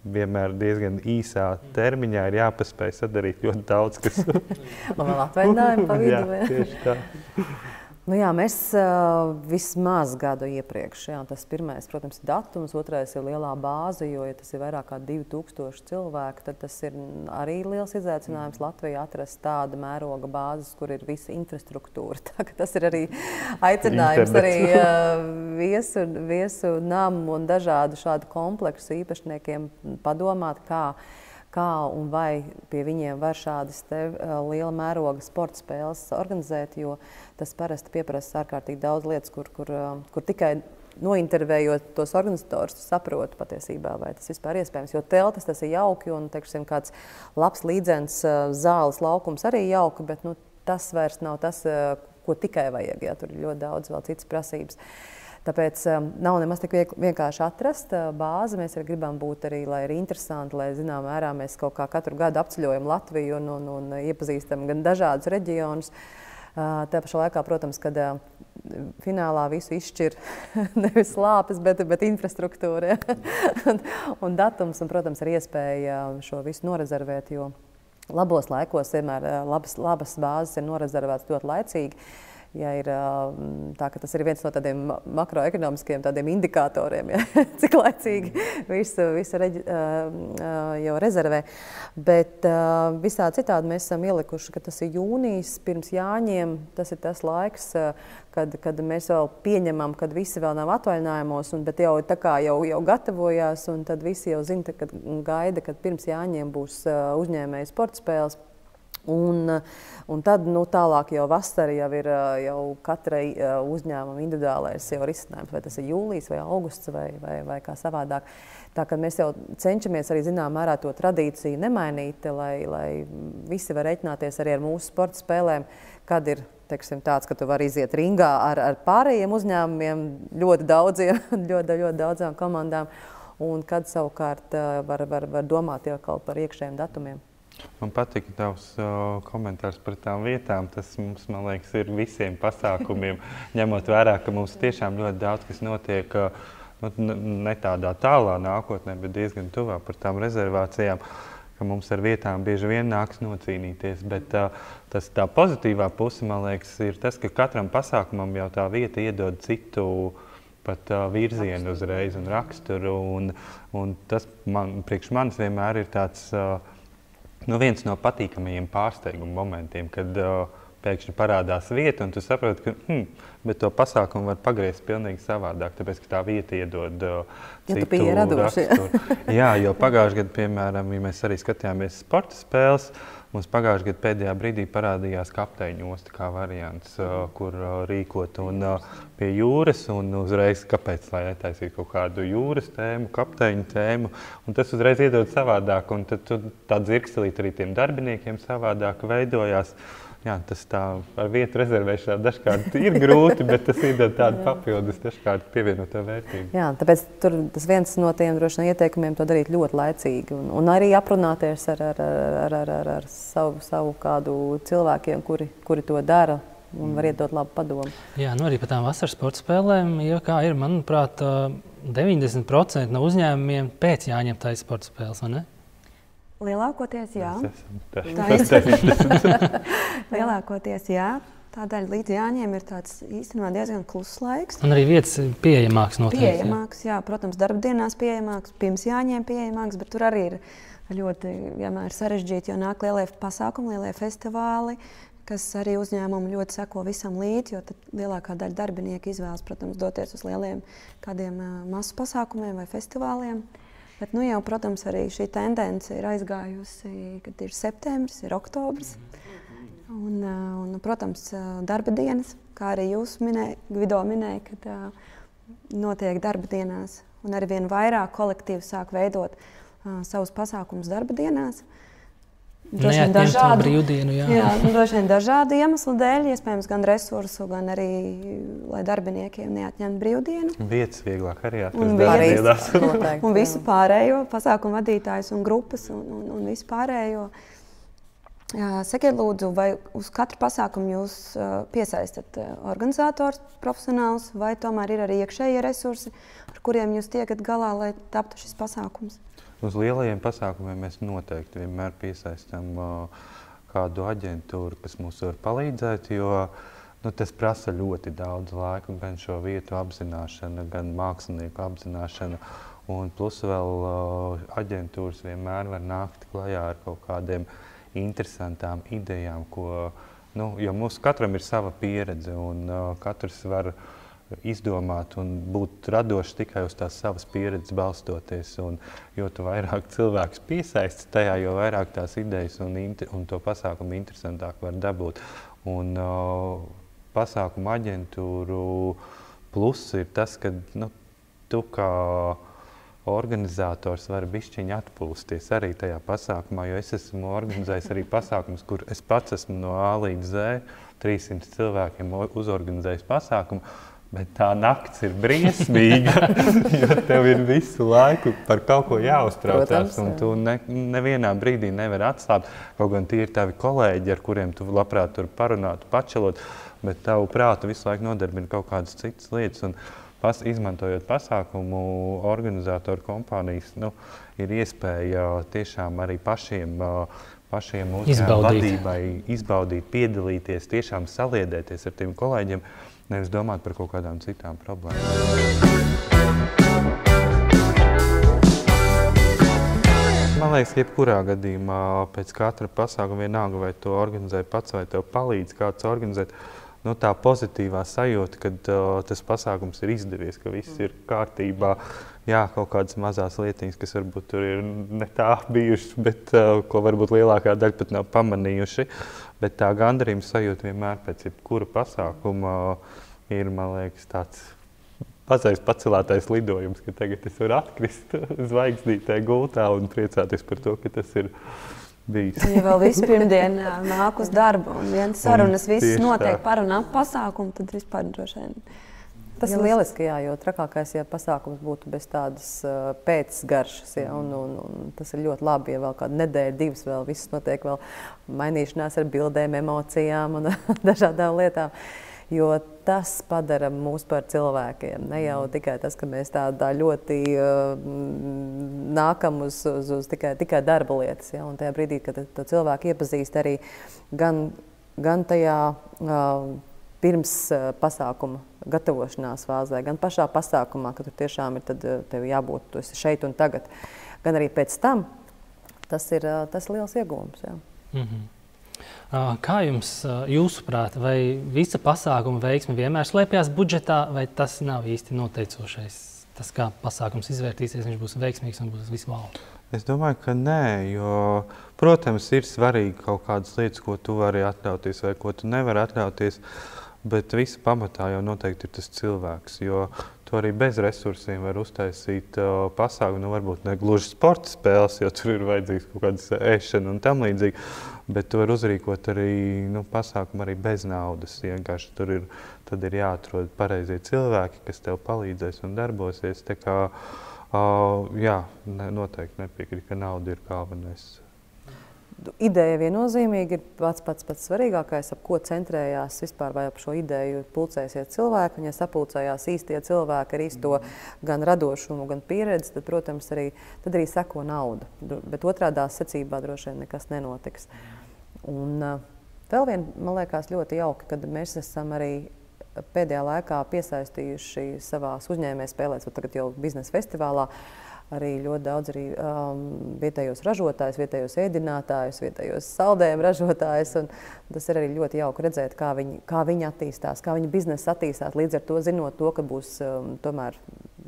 vienmēr diezgan īsā termiņā, ir jāpaspēj sadarīt ļoti daudz, kas... Un vēl atvaļinājumi pa vidu. Jā, tieši tā. Nu jā, mēs uh, vismaz gadu iepriekš, jā, tas pirmais, protams, ir datums, otrais ir lielā bāze, jo, ja tas ir vairāk kā divi tūkstoši cilvēku, tad tas ir arī liels izaicinājums Latvijā atrast tāda mēroga bāzes, kur ir visa infrastruktūra. Tā, ka tas ir arī aicinājums Internet. arī uh, viesu, viesu namu un dažādu šādu kompleksu īpašniekiem padomāt, kā kā un vai pie viņiem var šādas te uh, liela mēroga sporta spēles organizēt, jo tas parasti pieprasa ārkārtīgi daudz lietas, kur, kur, uh, kur tikai nointervējot tos organizatorus, tu saproti patiesībā, vai tas vispār iespējams. Jo teltis tas ir jauki un, teiksim, kāds labs līdzens uh, zāles laukums arī jauki, bet nu, tas vairs nav tas, uh, ko tikai vajag. Jā, tur ir ļoti daudz vēl citas prasības. Tāpēc um, nav nemaz tik vienkārši atrast uh, bāzi. Mēs arī gribam būt arī, lai ir interesanti, lai zinām mērā mēs kaut kā katru gadu apceļojam Latviju un, un, un iepazīstam gan dažādus reģionus. Uh, tā pašā laikā, protams, kad uh, finālā visu izšķir nevis lāpes, bet, bet infrastruktūra. un, un datums un, protams, ir iespēja šo visu norezervēt, jo labos laikos vienmēr uh, labas, labas bāzes ir norezervētas ļoti laicīgi. Ja ir tā, ka tas ir viens no tādiem makroekonomiskiem tādiem indikatoriem, ja, cik laicīgi visu, visu reģi, jau rezervē. Bet visā citādi mēs esam ielikuši, ka tas ir jūnijas pirms Jāņiem. Tas ir tas laiks, kad, kad mēs vēl pieņemam, kad visi vēl nav atvaļinājumos, un, bet jau, tā kā jau, jau gatavojās, un tad visi jau zina, kad gaida, kad pirms Jāņiem būs uzņēmēju sporta spēles. Un, un tad nu, tālāk jau vasara jau ir jau katrai uzņēmuma individuālais jau risinājums, vai tas ir jūlijas vai augusts vai, vai, vai kā savādāk. Tā kā mēs jau cenšamies arī zinām mērā to tradīciju nemainīt, lai, lai visi var reiķināties arī ar mūsu sporta spēlēm, kad ir teiksim, tāds, ka tu vari iziet ringā ar, ar pārējiem uzņēmumiem, ļoti daudziem, ļoti, ļoti daudzām komandām, un kad savukārt var, var, var domāt jau kaut par iekšējiem datumiem. Man patīk tavs uh, komentārs par tām vietām. Tas mums, man liekas, ir visiem pasākumiem, ņemot vērā, ka mums tiešām ļoti daudz kas notiek uh, ne tādā tālā nākotnē, bet diezgan tuvā par tām rezervācijām, ka mums ar vietām bieži vien nāks nocīnīties. Bet uh, tas tā pozitīvā puse, man liekas, ir tas, ka katram pasākumam jau tā vieta iedod citu pat uh, virzienu uzreiz un raksturu. Un, un tas man, priekš manis vienmēr ir tāds uh, Nu, viens no patīkamajiem pārsteiguma momentiem, kad uh, pēkšņi parādās vieta, un tu saproti, ka hmm, bet to pasākumu var pagriezt pilnīgi savādāk, tāpēc, ka tā vieta iedod uh, citu ja raksturu. Jā, jo pagājušajā gadā, piemēram, ja mēs arī skatījāmies sporta spēles, mums pagājušajā gadā pēdējā brīdī parādījās kapteiņu osta kā variants, uh, kur uh, rīkot un uh, pie jūras, un uzreiz, kāpēc, lai netaisītu kaut kādu jūras tēmu, kapteiņu tēmu, un tas uzreiz iedod savādāk, un tad tu, tā dzirkstelīt arī tiem darbiniekiem savādāk veidojās. Jā, tas tā ar vietu rezervēšanā dažkārt ir grūti, bet tas iedod tādu papildus dažkārt pievienotā vērtību. Jā, tāpēc tur tas viens no tiem droši vien ieteikumiem to darīt ļoti laicīgi un, un arī aprunāties ar, ar, ar, ar, ar, ar savu, savu kādu cilvēkiem, kuri, kuri to dara un var iedot labu padomu. Jā, nu arī par tām vasaras sporta spēlēm, ja kā ir, manuprāt, deviņdesmit procenti no uzņēmumiem pēc Jāņiem taisa sporta spēles, vai ne? Lielākoties jā. Tā ir. Lielākoties jā. tā daļa līdz Jāņiem ir tāds īstenībā diezgan kluss laiks. Un arī vietas pieejamāks noteikti. Pieejamāks, jā. jā, protams, darba dienās pieejamāks, pirms Jāņiem pieejamāks, bet tur arī ir ļoti vienmēr sarežģīti, jo nāk lielie pasākumi, lielie festivāli, kas arī uzņēmumi ļoti seko visam līdzi, jo tad lielākā daļa darbinieku izvēlas, protams, doties uz lieliem kādiem uh, masu pasākumiem vai festivāliem. Bet, nu jau, protams, arī šī tendence ir aizgājusi, kad ir septembris, ir oktobris. Un, uh, un protams, darba dienas, kā arī jūs minēja, Gvido minēja, kad uh, notiek darba dienās. Un arī vien vairāk kolektīvi sāk veidot uh, savus pasākumus darba dienās. Droši vien dažādu brīvdienu, jā. Jā, nu, droši vien dažādu iemeslu dēļ, iespējams, gan resursu, gan arī, lai darbiniekiem neatņemtu brīvdienu. Vietas vieglāk arī Un atrast. vietas, un visu pārējo, pasākumu vadītājus un grupas un, un, un visu pārējo. Jā, sakiet lūdzu, vai uz katru pasākumu jūs uh, piesaistat uh, organizators profesionāls, vai tomēr ir arī iekšējie resursi, ar kuriem jūs tiekat galā, lai taptu šis pasākums? Uz lielajiem pasākumiem mēs noteikti vienmēr piesaistam uh, kādu aģentūru, kas mums var palīdzēt, jo nu, tas prasa ļoti daudz laika, gan šo vietu apzināšana, gan mākslinieku apzināšana. Un plus vēl uh, aģentūras vienmēr var nākt klajā ar kaut kādiem interesantām idejām, ko, nu, jo mums katram ir sava pieredze un uh, katrs var izdomāt un būt radošs tikai uz tās savas pieredzes balstoties. Un, jo tu vairāk cilvēks piesaisti tajā, jo vairāk tās idejas un, un to pasākumu interesantāk var dabūt. Un uh, pasākumu aģentūru pluss ir tas, ka nu, tu kā organizators vari bišķiņi atpūsties arī tajā pasākumā, jo es esmu organizējis arī pasākumus, kur es pats esmu no A līdz Z, trīssimt cilvēkiem uzorganizējis pasākumu. Bet tā nakts ir briesmīga, jo tev ir visu laiku par kaut ko jāuztraucās, un tu ne, nevienā brīdī nevari atslābt. Kaut gan tie ir tavi kolēģi, ar kuriem tu labprāt tur parunātu, pačelot, bet tavu prātu visu laiku nodarbina kaut kādas citas lietas. Un pas, izmantojot pasākumu, organizatoru kompānijas, nu, ir iespēja tiešām arī pašiem, pašiem uzņēmumu vadībai izbaudīt, piedalīties, tiešām saliedēties ar tiem kolēģiem, nevis domāt par kaut kādām citām problēmām. Man liekas, jebkurā gadījumā pēc katra pasākuma vienalga, vai to organizē pats, vai tev palīdz kāds organizēt, nu, tā pozitīvā sajūta, kad uh, tas pasākums ir izdevies, ka viss ir kārtībā. Jā, kaut kādas mazās lietiņas, kas varbūt tur ir ne tā bijušas, bet uh, ko varbūt lielākā daļa pat nav pamanījuši. Bet tā gandarījuma sajūta vienmēr pēc jebkura pasākuma ir, man liekas, tāds mazais pacelātais lidojums, ka tagad es varu atkrist zvaigznītē gultā un priecāties par to, ka tas ir bijis. Ja vēl visu pirmdienu nāk uz darbu un viens sarunas viss notiek par un ap pasākumu, tad vispār droši vien. Tas ir lieliski, jā, jo trakākais, ja pasākums būtu bez tādas uh, pēcgaršas, ja, un, un, un tas ir ļoti labi, ja vēl kāda nedēļa, divas vēl viss notiek vēl mainīšanās ar bildēm, emocijām un dažādām lietām, jo tas padara mūs par cilvēkiem. Ne jau tikai tas, ka mēs tādā ļoti uh, nākam uz, uz, uz tikai, tikai darba lietas, ja, un tajā brīdī, kad to cilvēku iepazīst arī gan, gan tajā uh, pirms uh, pasākuma gatavošanās fāzē, gan pašā pasākumā, ka tur tiešām ir tad tev jābūt, tu esi šeit un tagad, gan arī pēc tam, tas ir, tas ir liels iegūms. Jā. Mm-hmm. Kā jums, jūsuprāt, vai visa pasākuma veiksme vienmēr slēpjas budžetā, vai tas nav īsti noteicošais? Tas, kā pasākums izvērtīsies, viņš būs veiksmīgs un būs visu valdu? Es domāju, ka nē, jo, protams, ir svarīgi kaut kādas lietas, ko tu vari atļauties vai ko tu nevari atļauties, bet visa pamatā jau noteikti ir tas cilvēks, jo tu arī bez resursiem var uztaisīt uh, pasākumu, nu varbūt ne gluži sporta spēles, jo tur ir vajadzīgs kaut kādas ēšana un tam līdzīgi, bet tu var uzrīkot arī nu, pasākumu arī bez naudas. Vienkārši tur ir, tad ir jāatrod pareizie cilvēki, kas tev palīdzēs un darbosies. Tā kā, uh, jā, ne, noteikti nepiekrīt, ka nauda ir galvenais. Ideja viennozīmīgi ir pats pats pats svarīgākais, ap ko centrējās vispār, vai ap šo ideju pulcēsies cilvēki. Un ja sapulcējās īstie cilvēki ar īsto gan radošumu, gan pieredzi, tad, protams, arī, tad arī seko nauda. Bet otrādā secībā droši vien nekas nenotiks. Un, Vēl vien, man liekas, ļoti jauki, kad mēs esam arī pēdējā laikā piesaistījuši savās uzņēmējspēlēs, vai tagad jau biznesa festivālā, arī ļoti daudz arī, um, vietējos ražotājus, vietējos ēdinātājus, vietējos saldējumu ražotājus. Un tas ir arī ļoti jauki redzēt, kā viņi, kā viņi attīstās, kā viņa biznesa attīstās. Līdz ar to zinot to, ka būs um, tomēr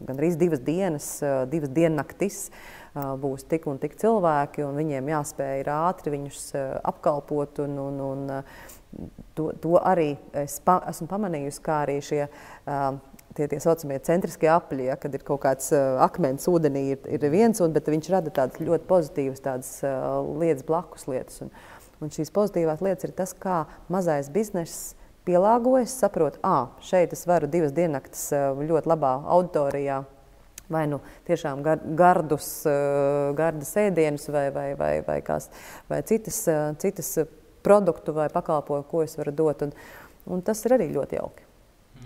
gandrīz divas dienas, uh, divas diennaktis, uh, būs tik un tik cilvēki, un viņiem jāspēj ir ātri viņus uh, apkalpot. Un, un, un, uh, to, to arī es pa, esmu pamanījusi, kā arī šie uh, Tie, tie saucamie centriskie apļi, ja, kad ir kaut kāds uh, akmens ūdenī, ir, ir viens, un, bet viņš rada tādas ļoti pozitīvas tādas, uh, lietas, blakus lietas. Un, un šīs pozitīvās lietas ir tas, kā mazais bizness pielāgojas, saprot, ā, šeit es varu divas diennaktis uh, ļoti labā auditorijā, vai nu tiešām gar, gardus, uh, gardas ēdienus, vai, vai, vai, vai, kās, vai citas, uh, citas produktu vai pakalpojumu, ko es varu dot. Un, un tas ir arī ļoti jauki.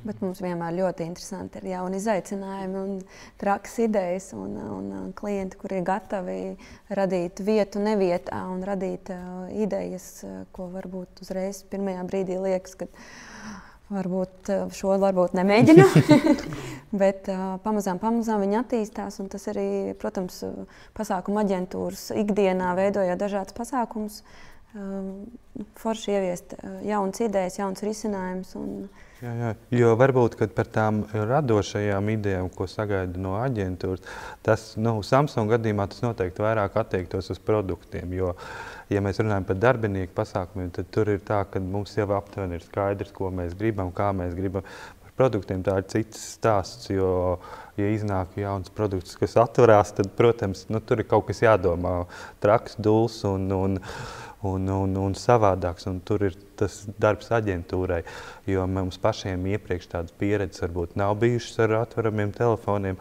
Bet mums vienmēr ļoti interesanti ir jauni izaicinājumi un trakas idejas un, un, un klienti, kuri ir gatavi radīt vietu nevietā un radīt uh, idejas, uh, ko varbūt uzreiz pirmajā brīdī liekas, ka varbūt uh, šo varbūt nemēģinu. Bet uh, pamazām, pamazām viņi attīstās, un tas arī, protams, pasākuma aģentūras ikdienā veidojot dažādas pasākumus, uh, forši ieviest uh, jaunas idejas, jaunas risinājumus. Un, Jā, jā, jo varbūt, kad par tām radošajām idejām, ko sagaida no aģentūras, tas, nu, Samsung gadījumā tas noteikti vairāk attiektos uz produktiem, jo, ja mēs runājam par darbinieku pasākumiem, tad tur ir tā, ka mums jau aptuveni ir skaidrs, ko mēs gribam, kā mēs gribam. Par produktiem tā ir cits stāsts, jo, ja iznāk jauns produkts, kas atverās, tad, protams, nu, tur ir kaut kas jādomā, traks, duls un, un Un, un, un savādāks, un tur ir tas darbs aģentūrai, jo mums pašiem iepriekš tādas pieredzes varbūt nav bijušas ar atveramiem telefoniem.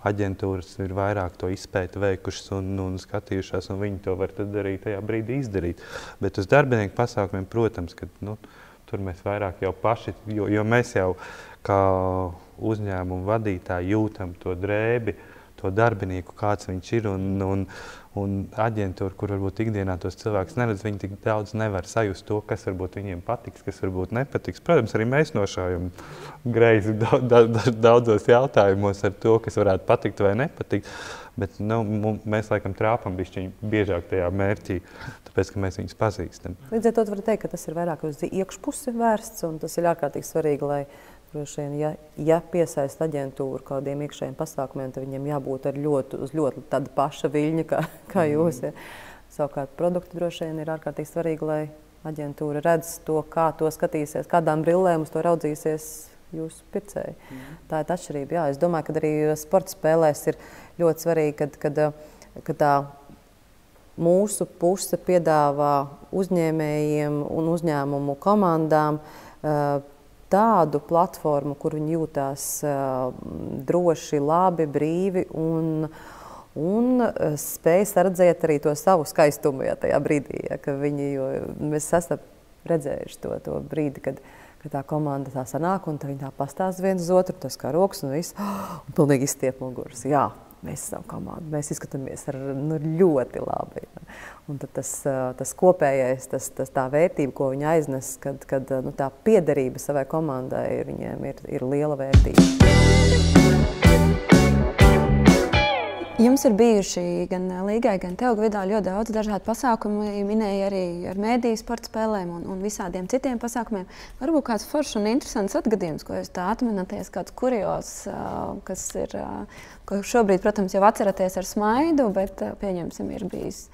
Aģentūras ir vairāk to izpēti veikušas un, un skatījušās, un viņi to var tad arī tajā brīdī izdarīt. Bet uz darbinieku pasākumiem, protams, ka nu, tur mēs vairāk jau paši, jo, jo mēs jau kā uzņēmumu vadītāji jūtam to drēbi, to darbinieku, kāds viņš ir, un, un Un aģentūra, kur varbūt ikdienā tos cilvēkus neredz, viņi tik daudz nevar sajust to, kas varbūt viņiem patiks, kas varbūt nepatiks. Protams, arī mēs nošājam greizi daudzos jautājumos ar to, kas varētu patikt vai nepatikt. Bet nu, mēs laikam trāpam bišķiņ biežāk tajā mērķī, tāpēc, ka mēs viņus pazīstam. Līdz ar to var teikt, ka tas ir vairāk uz iekšpusi vērsts, un tas ir ārkārtīgi svarīgi, lai droši vien, ja, ja piesaist aģentūru kādiem iekšējiem pasākumiem, tad viņiem jābūt ar ļoti, uz ļoti tāda paša viļņa, kā, kā jūs. Ja. Savukārt produkti droši vien ir ārkārtīgi svarīgi, lai aģentūra redz to, kā to skatīsies, kādām brillēm uz to raudzīsies jūsu pircēji. Mm. Tā ir atšķirība. Jā, es domāju, ka arī sporta spēlēs ir ļoti svarīgi, kad, kad, kad tā mūsu puse piedāvā uzņēmējiem un uzņēmumu komandām tādu platformu, kur viņi jūtās uh, droši, labi, brīvi un, un spēj sardzēt arī to savu skaistumu ja, tajā brīdī. Ja, ka viņi, jo mēs esam redzējuši to, to brīdi, kad, kad tā komanda tā sanāk un tā viņi tā pastāst viens uz otru, tas kā rokas un viss, oh, un pilnīgi izstiep muguras. Jā, mēs esam komanda, mēs izskatāmies ar, nu, ļoti labi. Ja. Un tad tas, tas kopējais, tas, tas tā vērtība, ko viņi aiznes, kad, kad nu, tā piederība savai komandai viņiem ir, ir liela vērtība. Jums ir bijuši gan Līgai, gan tev, Gvidā, ļoti daudz dažādu pasākumu. Minēja arī ar mēdīju sporta spēlēm un, un visādiem citiem pasākumiem. Varbūt kāds foršs un interesants atgadījums, ko jūs tā atminaties, kāds kurios, kas ir, ko šobrīd, protams, jau atceraties ar smaidu, bet pieņemsim ir bijis.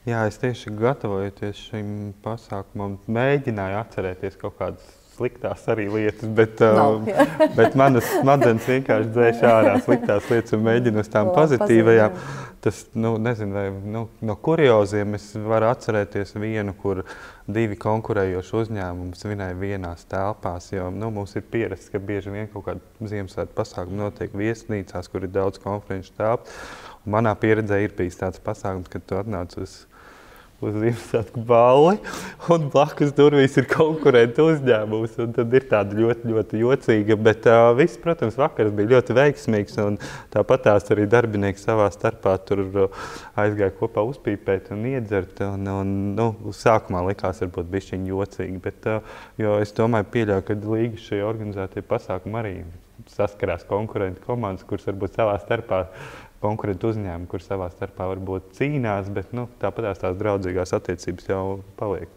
Jā, es tieši gatavojoties šim pasākumam, mēģināju atcerēties kaut kādas sliktās arī lietas, bet, no, uh, bet manas smadzenes vienkārši dzēš ārā sliktās lietas un mēģinu uz tām pozitīvajām. Tas, nu, nezinu, vai, nu, no kurioziem es varu atcerēties vienu, kur divi konkurējoši uzņēmumi svinēja vienās telpās, jo nu, mums ir pierasts, ka bieži vien kaut kāda Ziemassvētku pasākuma notiek viesnīcās, kur ir daudz konferenču telpu. Manā pieredzē ir bijis tāds pasākums, kad tu atnāc uz uz Ziemassvētku balli, un blakus durvīs ir konkurentu uzņēmums. Un tad ir tāda ļoti, ļoti jocīga, bet uh, viss, protams, vakars bija ļoti veiksmīgs, un tāpat tās arī darbinieki savā starpā tur uh, aizgāja kopā uzpīpēt un iedzert, un, un nu, sākumā likās varbūt bišķiņ jocīgi, bet uh, jo es domāju, pieļauju, ka līga šie organizētie pasākumi arī saskarās konkurentu komandas, kuras varbūt savā starpā konkurentu uzņēmumi, kur savā starpā varbūt cīnās, bet nu, tāpatās tās draudzīgās attiecības jau paliek.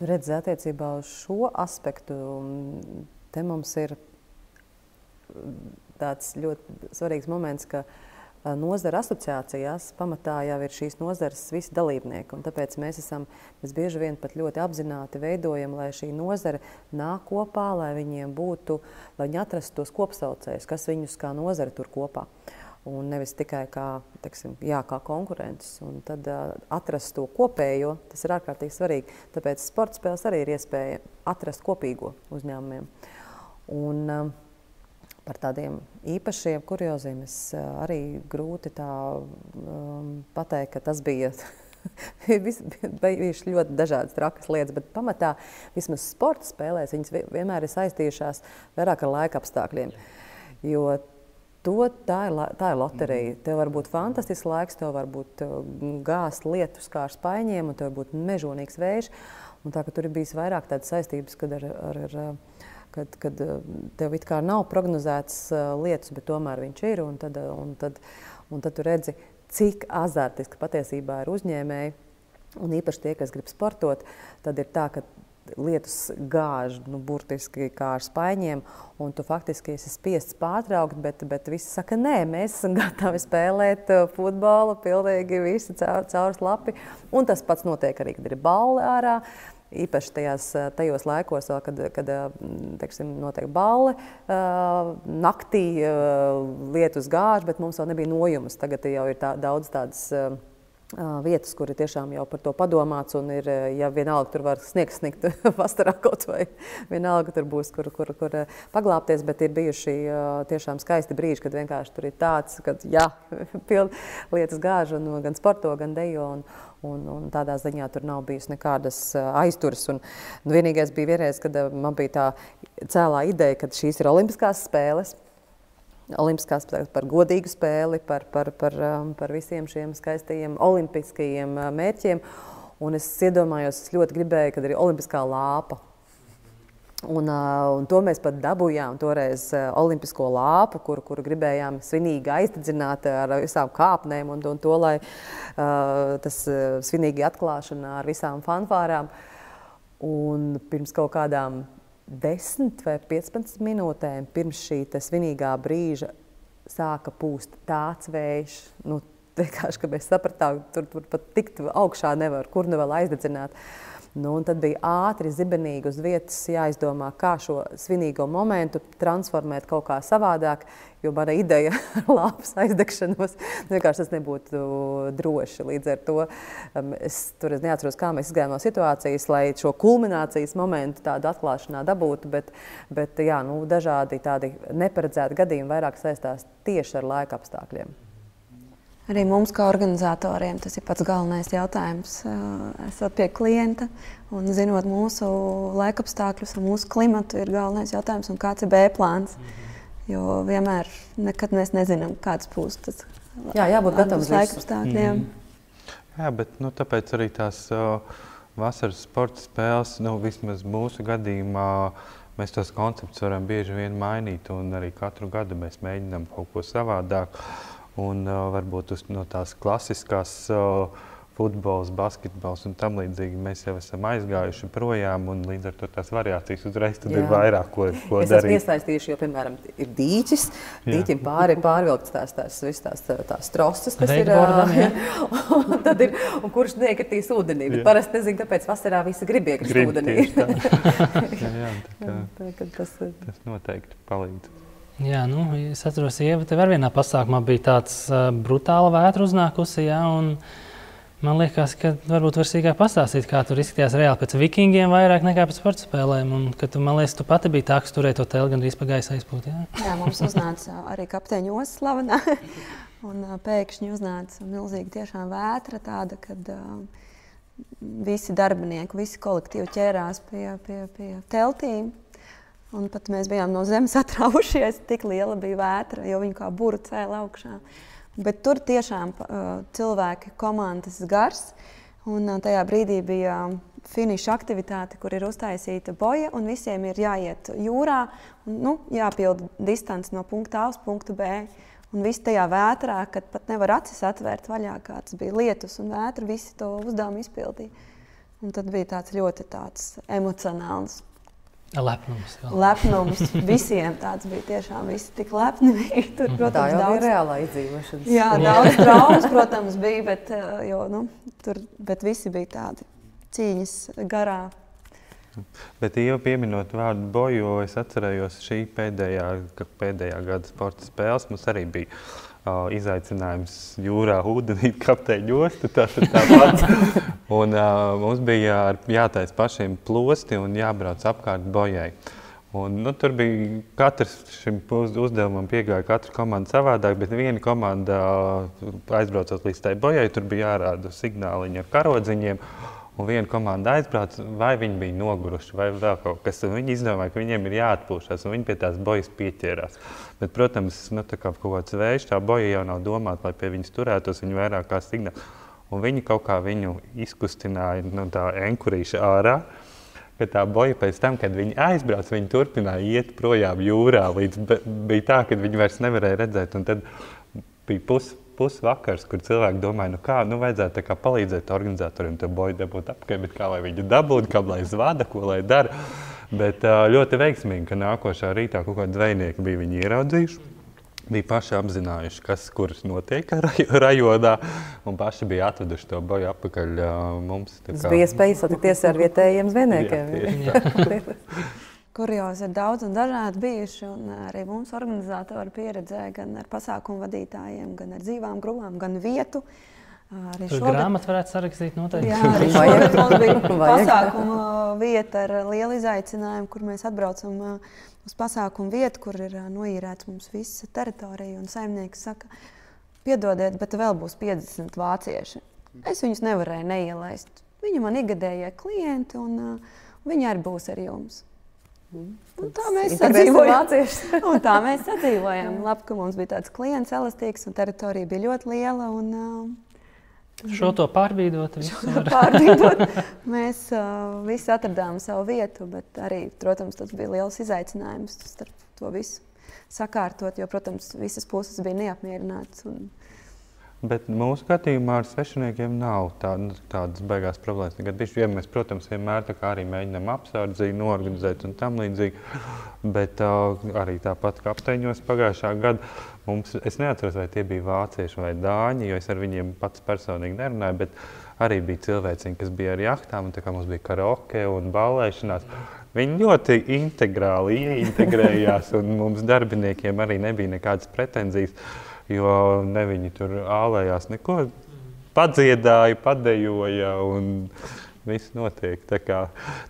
Redz, attiecībā uz šo aspektu, te mums ir tāds ļoti svarīgs moments, ka nozara asociācijās pamatā jau ir šīs nozares visi dalībnieki, un tāpēc mēs esam, mēs bieži vien pat ļoti apzināti veidojam, lai šī nozara nāk kopā, lai viņiem būtu, lai viņi atrastu tos kopsaucējus, kas viņus kā nozara tur kopā. Un nevis tikai kā, teiksim, jā, kā konkurences, un tad uh, atrast to kopējo, tas ir ārkārtīgi svarīgi. Tāpēc sporta spēles arī ir iespēja atrast kopīgo uzņēmumiem. Un uh, par tādiem īpašiem kurioziem es uh, arī grūti tā um, pateikt, ka tas bija bijuši ļoti dažādas trakas lietas, bet pamatā vismaz sporta spēlēs viņas vienmēr ir saistījušās vairāk ar laika apstākļiem. Jo To, tā, ir, tā ir loterija. Tev var būt fantastisks laiks, tev var būt gāzt lietus kā ar spaiņiem, un tev var būt mežonīgs vējš. Un tā, ka tur ir bijis vairāk tādas saistības, kad, ar, ar, ar, kad, kad tev it kā nav prognozēts lietus, bet tomēr viņš ir. Un tad, un tad, un tad tu redzi, cik azartiski patiesībā ir uzņēmēji. Un īpaši tie, kas grib sportot, tad ir tā, ka lietus gāž, nu, burtiski kā ar spaiņiem, un tu faktiski esi spiests pārtraukt, bet, bet visi saka, nē, mēs esam gatavi spēlēt futbolu, pilnīgi visi caur, caur slapi, un tas pats notiek arī, kad ir balli ārā, īpaši tajās, tajos laikos, kad, kad teiksim, notiek balli, naktī lietus gāž, bet mums vēl nebija nojumas, tagad jau ir tā, daudz tādas vietas, kur ir tiešām jau par to padomāts, un ir, ja vienalga tur var sniegs sniegt vasarā kaut vai vienalga tur būs, kur, kur, kur paglāpties, bet ir bijuši tiešām skaisti brīži, kad vienkārši tur ir tāds, kad jā, pildi lietas gāž, un gan sporto, gan dejo, un, un, un tādā ziņā tur nav bijusi nekādas aizturas. Un, un vienīgais bija vienreiz, kad man bija tā cēlā ideja, kad šīs ir olimpiskās spēles, Olimpiskās par godīgu spēli, par, par, par, par visiem šiem skaistajiem olimpiskajiem mērķiem. Un es iedomājos, es ļoti gribēju, kad ir olimpiskā lāpa. Un, un to mēs pat dabūjām toreiz olimpisko lāpu, kuru, kuru gribējām svinīgi aizdedzināt ar visām kāpnēm un, un to, lai uh, tas svinīgi atklāšana ar visām fanfārām. Un pirms kaut kādām desmit vai piecpadsmit minūtēm pirms šī svinīgā brīža sāka pūst tāds vējš, nu, vienkārši, ka mēs sapratām, tur, tur pat tikt augšā nevar, kur nu vēl aizdedzināt. Nu, un tad bija ātri, zibenīgi uz vietas jāizdomā, kā šo svinīgo momentu transformēt kaut kā savādāk, jo mana ideja ar lāpas aizdegšanos vienkārši tas nebūtu droši. Līdz ar to es tur neatceros, kā mēs izgājām no situācijas, lai šo kulminācijas momentu tādu atklāšanā dabūtu, bet, bet jā, nu, dažādi tādi neparedzēti gadījumi vairāk saistās tieši ar laika apstākļiem. Arī mums, kā organizatoriem, tas ir pats galvenais jautājums. Esot pie klienta un zinot mūsu laikapstākļus un mūsu klimatu, ir galvenais jautājums, un kāds ir B plāns. Jo vienmēr nekad mēs nezinām, kāds būs tas Jā, jābūt gatavs laikapstākļiem. Mm. Jā, bet nu, tāpēc arī tās uh, vasaras sporta spēles, nu, vismaz mūsu gadījumā, mēs tos konceptus varam bieži vien mainīt, un arī katru gadu mēs mēģinām kaut ko savādāk. Un uh, varbūt uz, no tās klasiskās uh, futbols, basketbols un tam līdzīgi mēs jau esam aizgājuši projām, un līdz ar to tās variācijas uzreiz tad Jā. Ir vairāk, ko, ko es darīt. Es esmu iesaistījuši, jo, piemēram, ir dīķis, dīķim pāri pārvilkts tās, tās, tās, tās, tās trosas, kas ir, ja. un tad ir, un kurš neiekritīs ūdenī, bet parasti nezinu, kāpēc vasarā visi grib iekrist grib ūdenī. jā, jā, tā, tā, tā, tas, tas noteikti palīdz. Jā, nu, es atceros, Ieva, tev ar vienā pasākumā bija tāds uh, brutāla vētra uznākusi, jā, un man liekas, ka varbūt var sīkāk pastāstīt, kā tur izskatījās reāli pēc vikingiem vairāk nekā pēc sporta spēlēm, un ka tu, man liekas, tu pati biji tā, kas turēja to teli gandrīz pa gaisa aizpūt, jā? Jā, mums uznāca arī kapteiņa Osa slavenā, un uh, pēkšņi uznāca milzīgi tiešām vētra tāda, kad uh, visi darbinieki, visi kolektīvi ķērās pie, pie, pie teltīm. Un pat mēs bijām no zemes atraušies, tik liela bija vētra, jo viņi kā buru cēla augšā. Bet tur tiešām uh, cilvēki, komandas gars, un uh, tajā brīdī bija finiša aktivitāte, kur ir uztaisīta boja, un visiem ir jāiet jūrā, un nu, jāpilda distance no punkta A uz punktu B. Un viss tajā vētrā, kad pat nevar acis atvērt vaļā, kāds bija lietus un vētra, visi to uzdevumu izpildīja. Un tad bija tāds ļoti tāds emocionāls lepnums. Jā. Lepnums visiem tāds bija tiešām, visi tik lepni bija. Tur, protams, tā jau daudz, bija reālā izdzīvošanas. Jā, daudz traumas, protams, bija, bet, jo, nu, tur, bet visi bija tādi cīņas garā. Bet jau pieminot vārdu boju, es atcerējos šī pēdējā, pēdējā gada sporta spēles. Mums arī bija uh, izaicinājums jūrā ūdenī kapteiņu ostu, tas ir tāpat. Un uh, mums bija jātais pašiem plosti un jābrauc apkārt bojai. Un, nu, tur bija katrs šim uzdevumam piegāja katra komanda savādāk, bet viena komanda uh, aizbraucot līdz tai bojai, tur bija jārāda signāliņi ar karodziņiem. Un viena komanda aizbrauc, vai viņi bija noguruši, vai vēl kaut kas. Un viņi izdomāja, ka viņiem ir jāatpūšas, un viņi pie tās bojas pieķērās. Bet, protams, nu, tā kā kaut kāds vējš, tā boja jau nav domāta, lai pie viņas turētos, viņi vairāk kā signāli. Un viņi kaut kā viņu izkustināja no tā enkurīša ārā, ka tā boja pēc tam, kad viņi aizbrauc, viņi turpināja iet projām jūrā, līdz bija tā, ka viņi vairs nevarēja redzēt. Un tad bija pus pusvakars, kur cilvēki domāja, nu kā, nu vajadzētu tā kā palīdzēt organizatoriem to boju dabūt apkārt, bet kā lai viņu dabūtu, kā lai zvada, ko lai dara. Bet ļoti veiksmīgi, ka nākošā rītā kaut kādi zvejnieki bija viņu ieraudzījuši, bija paši apzinājuši, kas, kur notiek rajonā, un paši bija atveduši to boju atpakaļ mums. Tas bija iespēja satikties ar vietējiem zvejniekiem. Kuriozi ir daudz un dažādi bijuši, un arī mums organizatori pieredzē gan ar pasākumu vadītājiem, gan ar dzīvām grupām, gan vietu. Arī tur šogad... grāmatu varētu sarakstīt noteikti. Jā, arī šogad mums bija pasākuma vieta ar lielu izaicinājumu, kur mēs atbraucam uz pasākumu vietu, kur ir noīrēts mums visa teritorija, un saimnieks saka, piedodiet, bet vēl būs piecdesmit vācieši. Es viņus nevarēju neielaist. Viņi man igadējie klienti, un viņi arī būs ar jums. Un tā mēs sadzīvojām. Un tā mēs sadzīvojām. Labi, ka mums bija tāds klients elastīgs, un teritorija bija ļoti liela. Un, uh, šo to pārbīdot. Šo to pārbīdot. Mēs uh, visi atradām savu vietu, bet arī, protams, tas bija liels izaicinājums starp to visu sakārtot, jo, protams, visas puses bija neapmierinātas. Un... Bet mūsu skatījumā ar svešiniekiem nav tā, tādas beigās problēmas. Bišķi, ja mēs, protams, vienmēr tā kā arī mēģinām apsardzīgi, noorganizēt un tam līdzīgi, bet uh, arī tāpat kapteiņos pagājušā gada mums, es neatceros, vai tie bija vācieši vai dāņi, jo es ar viņiem pats personīgi nerunāju, bet arī bija cilvēciņi, kas bija ar jahtām, un tā kā mums bija karaoke un ballēšanās. Viņi ļoti integrāli ieintegrējās, un mums darbiniekiem arī nebija nekādas pretenzijas. Jo ne viņi tur ālējās neko, padziedāja, padejoja un viss notiek. Tā kā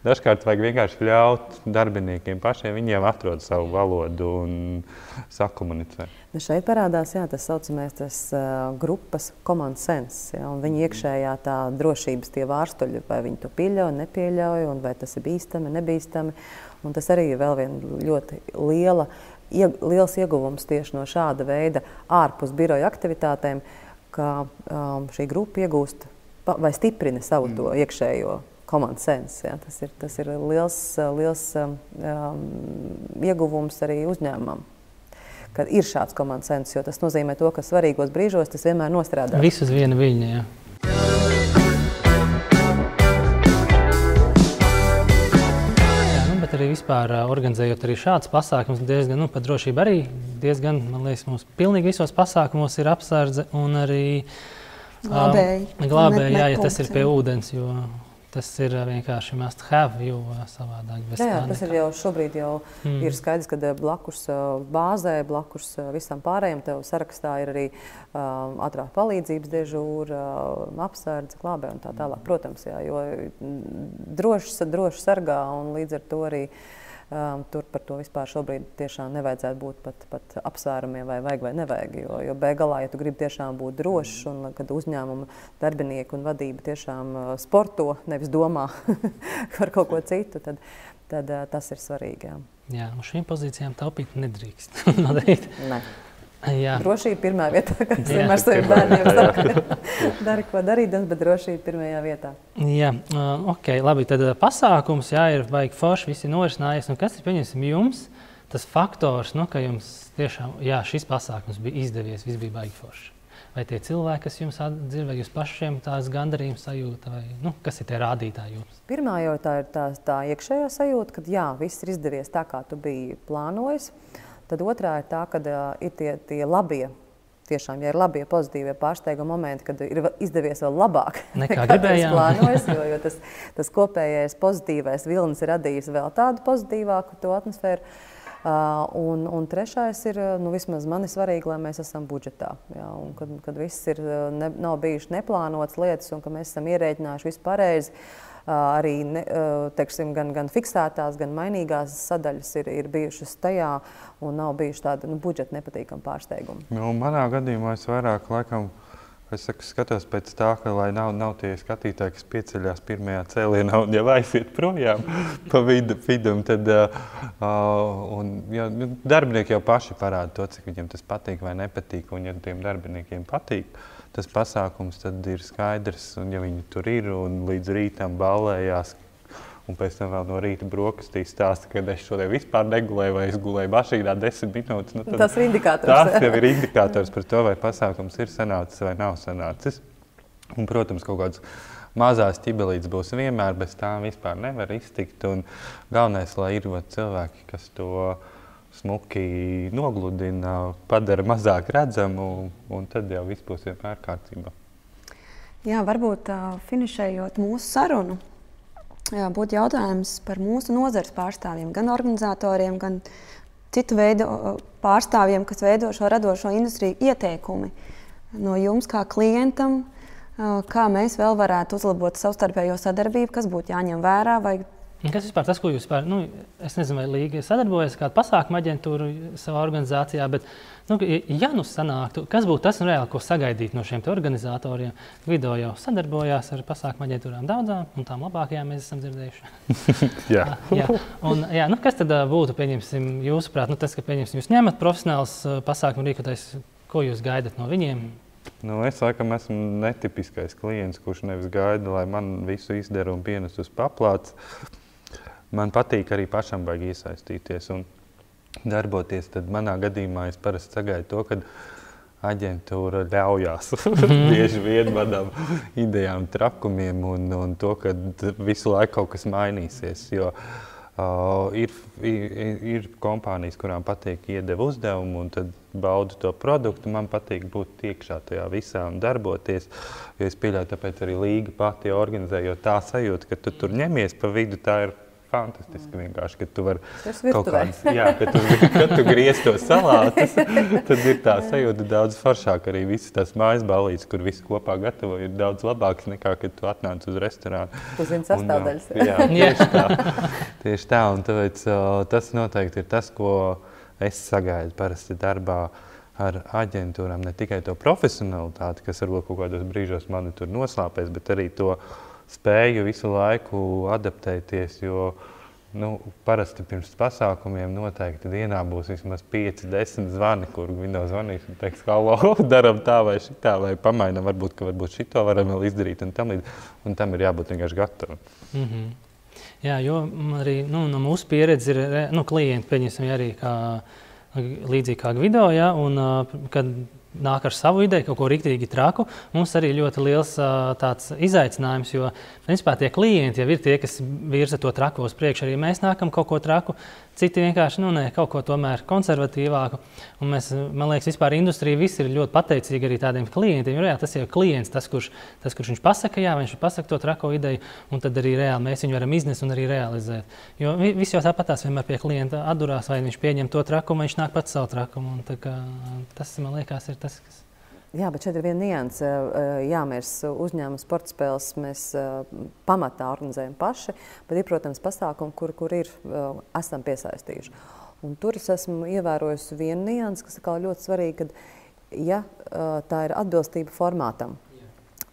dažkārt vajag vienkārši ļaut darbiniekiem pašiem, viņiem atrod savu valodu un sakomunicē. Šeit parādās, jā, tas saucamais tas uh, grupas common sense, jā, un viņa iekšējā tā drošības tie vārstuļi, vai viņi to pieļauj, nepieļauj, un vai tas ir bīstami, nebīstami. Un tas arī ir vēl viena ļoti liela liels ieguvums tieši no šāda veida ārpus biroja aktivitātēm, ka um, šī grupa iegūst vai stiprina savu to iekšējo common sense. Ja? Tas ir, tas ir liels, liels um, ieguvums arī uzņēmumam, kad ir šāds common sense, jo tas nozīmē to, ka svarīgos brīžos tas vienmēr nostrādā. Viss uz viena viļņa, jā. Arī vispār organizējot arī šādus pasākumus, diezgan, nu, par drošību arī diezgan, man liekas, mums pilnīgi visos pasākumos ir apsardze un arī glābēji, um, glābēji jā, ja tas ir pie ūdens, jo tas ir vienkārši must have, jo savādāk bez jā, jā, tas ir jau šobrīd jau mm. ir skaidrs, ka blakus bāzē, blakus visam pārējiem tev sarakstā ir arī um, ātrā palīdzības dežūra, apsardze, glābē un tā tālāk. Protams, jā, jo droši, droši sargā un līdz ar to arī Um, tur par to vispār šobrīd tiešām nevajadzētu būt pat, pat apsvērumiem, vai vajag vai nevajag. Jo, jo beigās, ja tu gribi tiešām būt drošs, un kad uzņēmuma darbinieki un vadība tiešām sporto, nevis domā par kaut ko citu, tad, tad uh, tas ir svarīgi. Jā, jā uz šīm pozīcijām taupīt nedrīkst. Ne. Jā. Drošība pirmā vietā, kā es vienmēr saviem bērniem saku. Dari, ko darīdams, bet drošība pirmajā vietā. Jā, uh, ok, labi, tad uh, pasākums, jā, ir baigi forši, visi norisinājies. Un kas ir, pieņemsim, jums tas faktors, nu, ka jums tiešām, jā, šis pasākums bija izdevies, viss bija baigi forši? Vai tie cilvēki, kas jums atdzird, vai jūs pašiem tās gandarījums sajūta, vai, nu, kas ir tie rādītāji jums? Pirmā jau tā ir tā, tā iekšējā sajūta, kad jā, viss ir izdevies tā, kā tu biji plānojis. Tad otrā ir tā, ka uh, ir tie, tie labie, tiešām, ja ir labie, pozitīvie pārsteiguma momenti, kad ir izdevies vēl labāk nekā gribējām. Plānojas, jo, jo tas, tas kopējais pozitīvais vilnis ir radījis vēl tādu pozitīvāku to atmosfēru. Uh, un, un trešais ir, nu, vismaz man ir svarīgi, lai mēs esam budžetā. Jā, un kad, kad viss ir, ne, nav bijuši neplānotas lietas un ka mēs esam ierēķinājuši visu pareizi, Uh, arī ne, uh, teiksim, gan, gan fiksētās, gan mainīgās sadaļas ir, ir bijušas tajā un nav bijuši tādi nu, budžeta nepatīkami pārsteigumi. Nu, manā gadījumā es vairāk laikam, es saku, skatos pēc tā, ka lai nav, nav tie skatītāji, kas pieceļās pirmajā cēlienā un jau aiziet projām pa vidu, vidum, tad uh, un, ja, darbinieki jau paši parāda to, cik viņiem tas patīk vai nepatīk, un ja tiem darbiniekiem patīk tas pasākums, tad ir skaidrs, un ja viņi tur ir un līdz rītam ballējās, un pēc tam vēl no rīta brokastīs stāsta, ka es šodien vispār negulēju vai es gulēju mašīnā desmit minūtes. Nu, tad, tas ir indikators. Tas jau ir indikators par to, vai pasākums ir sanācis vai nav sanācis. Un, protams, kaut kāds mazās ķibelītes būs vienmēr, bez tām vispār nevar iztikt. Un galvenais, lai ir cilvēki, kas to smuki nogludina, padara mazāk redzamu, un tad jau viss būs vienmēr kārtībā. Jā, varbūt uh, finišējot mūsu sarunu, jā, būtu jautājums par mūsu nozares pārstāvjiem, gan organizatoriem, gan citu veidu pārstāvjiem, kas veido šo radošo industriju, ieteikumi no jums kā klientam, uh, kā mēs vēl varētu uzlabot savstarpējo sadarbību, kas būtu jāņem vērā, vai kas vispār tas, ko jūs vispār, nu, es nezinu, vai Līga sadarbojas kādu pasākumu aģentūru savā organizācijā, bet, nu, ja nu sanāktu, kas būtu tas reāli, ko sagaidīt no šiem te organizatoriem? Video jau sadarbojās ar pasākumu aģentūrām daudzām, un tām labākajām mēs esam dzirdējuši. Jā. jā. Un, jā, nu, kas tad būtu, pieņemsim, jūsuprāt, nu, tas, ka, pieņemsim, jūs ņemat profesionāls pasākumu rīkotais, ko jūs gaidat no viņiem? Nu, es laikam esmu netipiskais klients, kurš nevis gaida, lai man visu izdara un pienes uz paplāts. Man patīk arī pašam baigi iesaistīties un darboties. Tad manā gadījumā es parasti sagaidu to, kad aģentūra ļaujās bieži vien manām idejām, trakumiem un, un to, ka visu laiku kaut kas mainīsies. Jo uh, ir, ir, ir kompānijas, kurām patīk iedeva uzdevumu un tad baudu to produktu. Man patīk būt iekšā tajā visā un darboties. Jo es pieļauju, tāpēc arī Līga pati organizē, jo tā sajūta, ka tu tur ņemies pa vidu, tā ir fantastiski vienkārši, ka tu vari kaut kādas, jā, ka tu, kad tu griez to salātus, tad ir tā sajūta daudz foršāk. Arī visas tās mājas ballītes, kur visi kopā gatavo, ir daudz labāks nekā, kad tu atnāc uz restorānu. Tu zini sastāvdaļas. Jā, tieši tā. Tieši tā, un tāpēc tas noteikti ir tas, ko es sagaidu parasti darbā ar aģentūrām. Ne tikai to profesionalitāti, kas varbūt kaut kādos brīžos mani tur noslāpēs, bet arī to spēju visu laiku adaptēties, jo nu, parasti pirms pasākumiem noteikti dienā būs vismaz pieci, desmit zvani, kur viņi zvanīs un teiks, halo, daram tā vai šitā, vai pamainam, varbūt, ka varbūt šito varam vēl izdarīt, un tam, un tam ir jābūt vienkārši gatavam. Mm-hmm. Jā, jo arī nu, no mūsu pieredzes ir nu, klienti, pieņemsim arī kā, līdzīgi kā Gvido, ja, un kad nāk ar savu ideju, kaut ko riktīgi traku. Mums arī ļoti liels uh, tāds izaicinājums, jo principā tie klienti jau ir tie, kas virza to trako uz priekšu. Arī mēs nākam kaut ko traku, citi vienkārši, nu nē, kaut ko tomēr konservatīvāku. Un mēs, man liekas, vispār industrija visi ir ļoti pateicīgi arī tādiem klientiem. Jo, jā, tas jau ir klients, tas, kurš, tas, kurš viņš pasaka, jā, viņš pasaka to trako ideju, un tad arī reāli mēs viņu varam iznest un arī realizēt. Jo viss jau tāpatās vienmēr pie klienta atdurās, vai viņš pieņem to trakumu, vai viņš nāk pats savu trakumu. Un tā kā, tas, man liekas, ir tas, kas... Jā, bet šeit ir viena nianse. Jā, mēs uzņēmumu sporta spēles mēs pamatā organizējam paši, bet ir, protams, pasākumi, kur, kur ir, esam piesaistījuši. Un tur es esmu ievērojusi vienu niansi, kas ir ļoti svarīga, kad ja tā ir atbilstība formātam.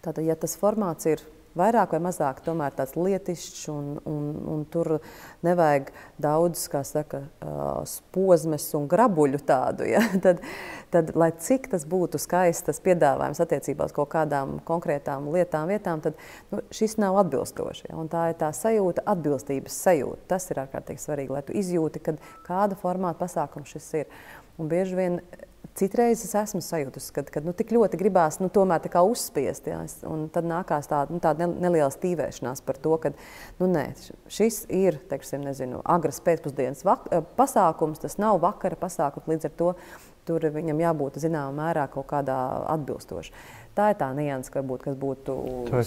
Tātad, ja tas formāts ir vairāk vai mazāk tomēr tāds lietišķs un, un, un tur nevajag daudz, kā saka, spozmes un grabuļu tādu, ja? tad, tad, lai cik tas būtu skaists tas piedāvājums attiecībā uz kaut kādām konkrētām lietām, vietām, tad nu, šis nav atbilstoši. Ja? Un tā ir tā sajūta, atbilstības sajūta. Tas ir ārkārtīgi svarīgi, lai tu izjūti, kad kāda formāta pasākums šis ir. Un bieži vien citreiz es esmu sajūtusi, kad, kad nu, tik ļoti gribās nu, tomēr tā kā uzspiest, ja? Un tad nākās tāda, nu, tāda neliela stīvēšanās par to, ka nu, nē, šis ir, teiksim, nezinu, agras pēcpusdienas pasākums, tas nav vakara pasākums, līdz ar to tur viņam jābūt zināmā mērā kaut kādā atbilstoši. Tā ir tā nianse, varbūt, kas būtu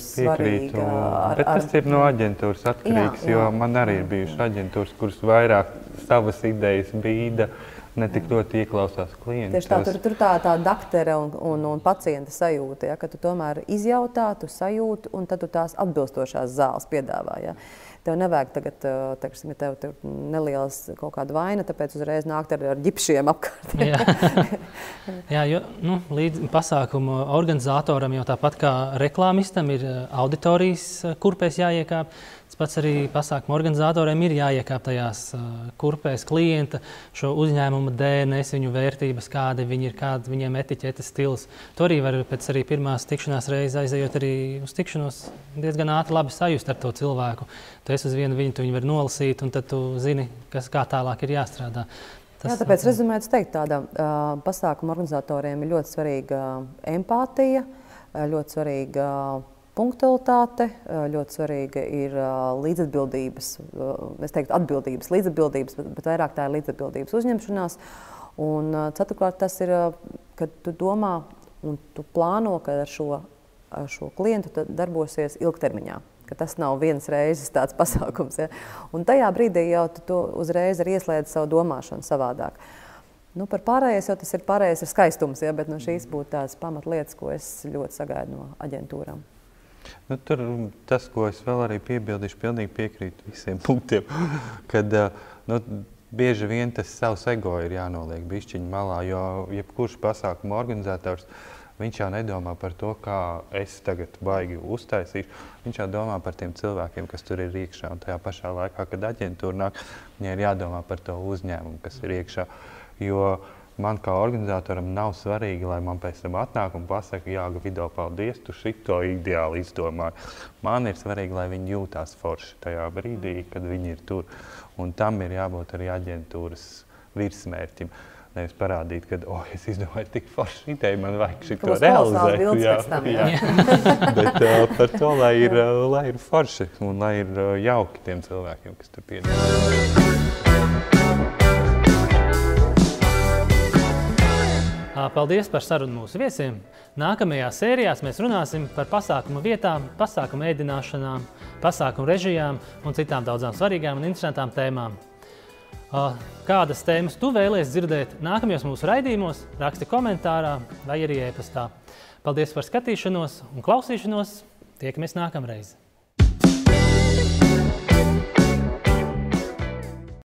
svarīga. Ar, Bet tas ar... ir no aģentūras atkarīgs, jā, jā. Jo man arī ir bijušas aģentūras, kuras vairāk savas idejas bīda, ne tik ļoti ieklausās klientus. Tieši tā, tur, tur tā, tā daktere un, un, un pacienta sajūta, ja, ka tu tomēr izjautā, tu sajūti, un tad tu tās atbilstošās zāles piedāvā. Ja. Tev nevajag tagad, teiksim, ja tev, tev nelielas kaut kāda vaina, tāpēc uzreiz nākt ar, ar ģipšiem apkārt. Jā, Jā jo nu, līdz pasākumu organizatoram jau tāpat kā reklāmistam ir auditorijas kurpēs jāiekāp. Tas pats arī pasākumu organizatoriem ir jāiekāp tajās kurpēs klienta, šo uzņēmumu D N S, viņu vērtības, kādi viņi ir, kāda viņiem etiķetes stils. To arī var pēc arī pirmās tikšanās reizes aizejot arī uz tikšanos diezgan ātri labi sajust ar to cilvēku. Tu esi uz vienu viņu, tu viņu var nolasīt, un tad tu zini, kas, kā tālāk ir jāstrādā. Tas, Jā, tāpēc rezumēt, teikt, tāda uh, pasākuma organizatoriem ir ļoti svarīga empātija, ļoti svarīga punktualitāte, ļoti svarīga ir līdzatbildības, es teiktu atbildības, līdzatbildības, bet, bet vairāk tā ir līdzatbildības uzņemšanās. Un ceturkārt tas ir, kad tu domā un tu plāno, ka ar šo, ar šo klientu darbosies ilgtermiņā. Ka tas nav viens reizes tāds pasākums. Ja? Un tajā brīdī jau tu to uzreiz arī ieslēdz savu domāšanu savādāk. Nu, par pārējais jau tas ir pārējais ir skaistums, ja? Bet no šīs būtu tās pamatlietas, ko es ļoti sagaidu no aģentūrām. Nu, tur tas, ko es vēl arī piebildīšu, pilnīgi piekrītu visiem punktiem, kad nu, bieži vien tas savs ego ir jānoliek bišķiņu malā, jo jebkurš pasākuma organizators, viņš jau nedomā par to, kā es tagad baigi uztaisīšu, viņš jau domā par tiem cilvēkiem, kas tur ir iekšā, un tajā pašā laikā, kad aģentūra nāk, viņai ir jādomā par to uzņēmumu, kas ir iekšā, jo man kā organizatoram nav svarīgi, lai man pēc tam atnāk un pasaka, jā, Gvido, paldies, tu šito ideāli izdomāji. Man ir svarīgi, lai viņi jūtās forši tajā brīdī, kad viņi ir tur. Un tam ir jābūt arī aģentūras virsmērķim. Nevis parādīt, ka, oh, es izdomāju tik forši ideju, man vajag šito realizēt. Jā, tam, jā. jā. Bet uh, par to, lai ir, uh, lai ir forši un lai ir uh, jauki tiem cilvēkiem, kas tur piedalās. Paldies par sarunu mūsu viesiem. Nākamajās sērijās mēs runāsim par pasākumu vietām, pasākumu ēdināšanām, pasākumu režijām un citām daudzām svarīgām un interesantām tēmām. Kādas tēmas tu vēlies dzirdēt nākamajos mūsu raidījumos, raksti komentārā vai arī e-pastā. Paldies par skatīšanos un klausīšanos. Tiekamies nākamreiz.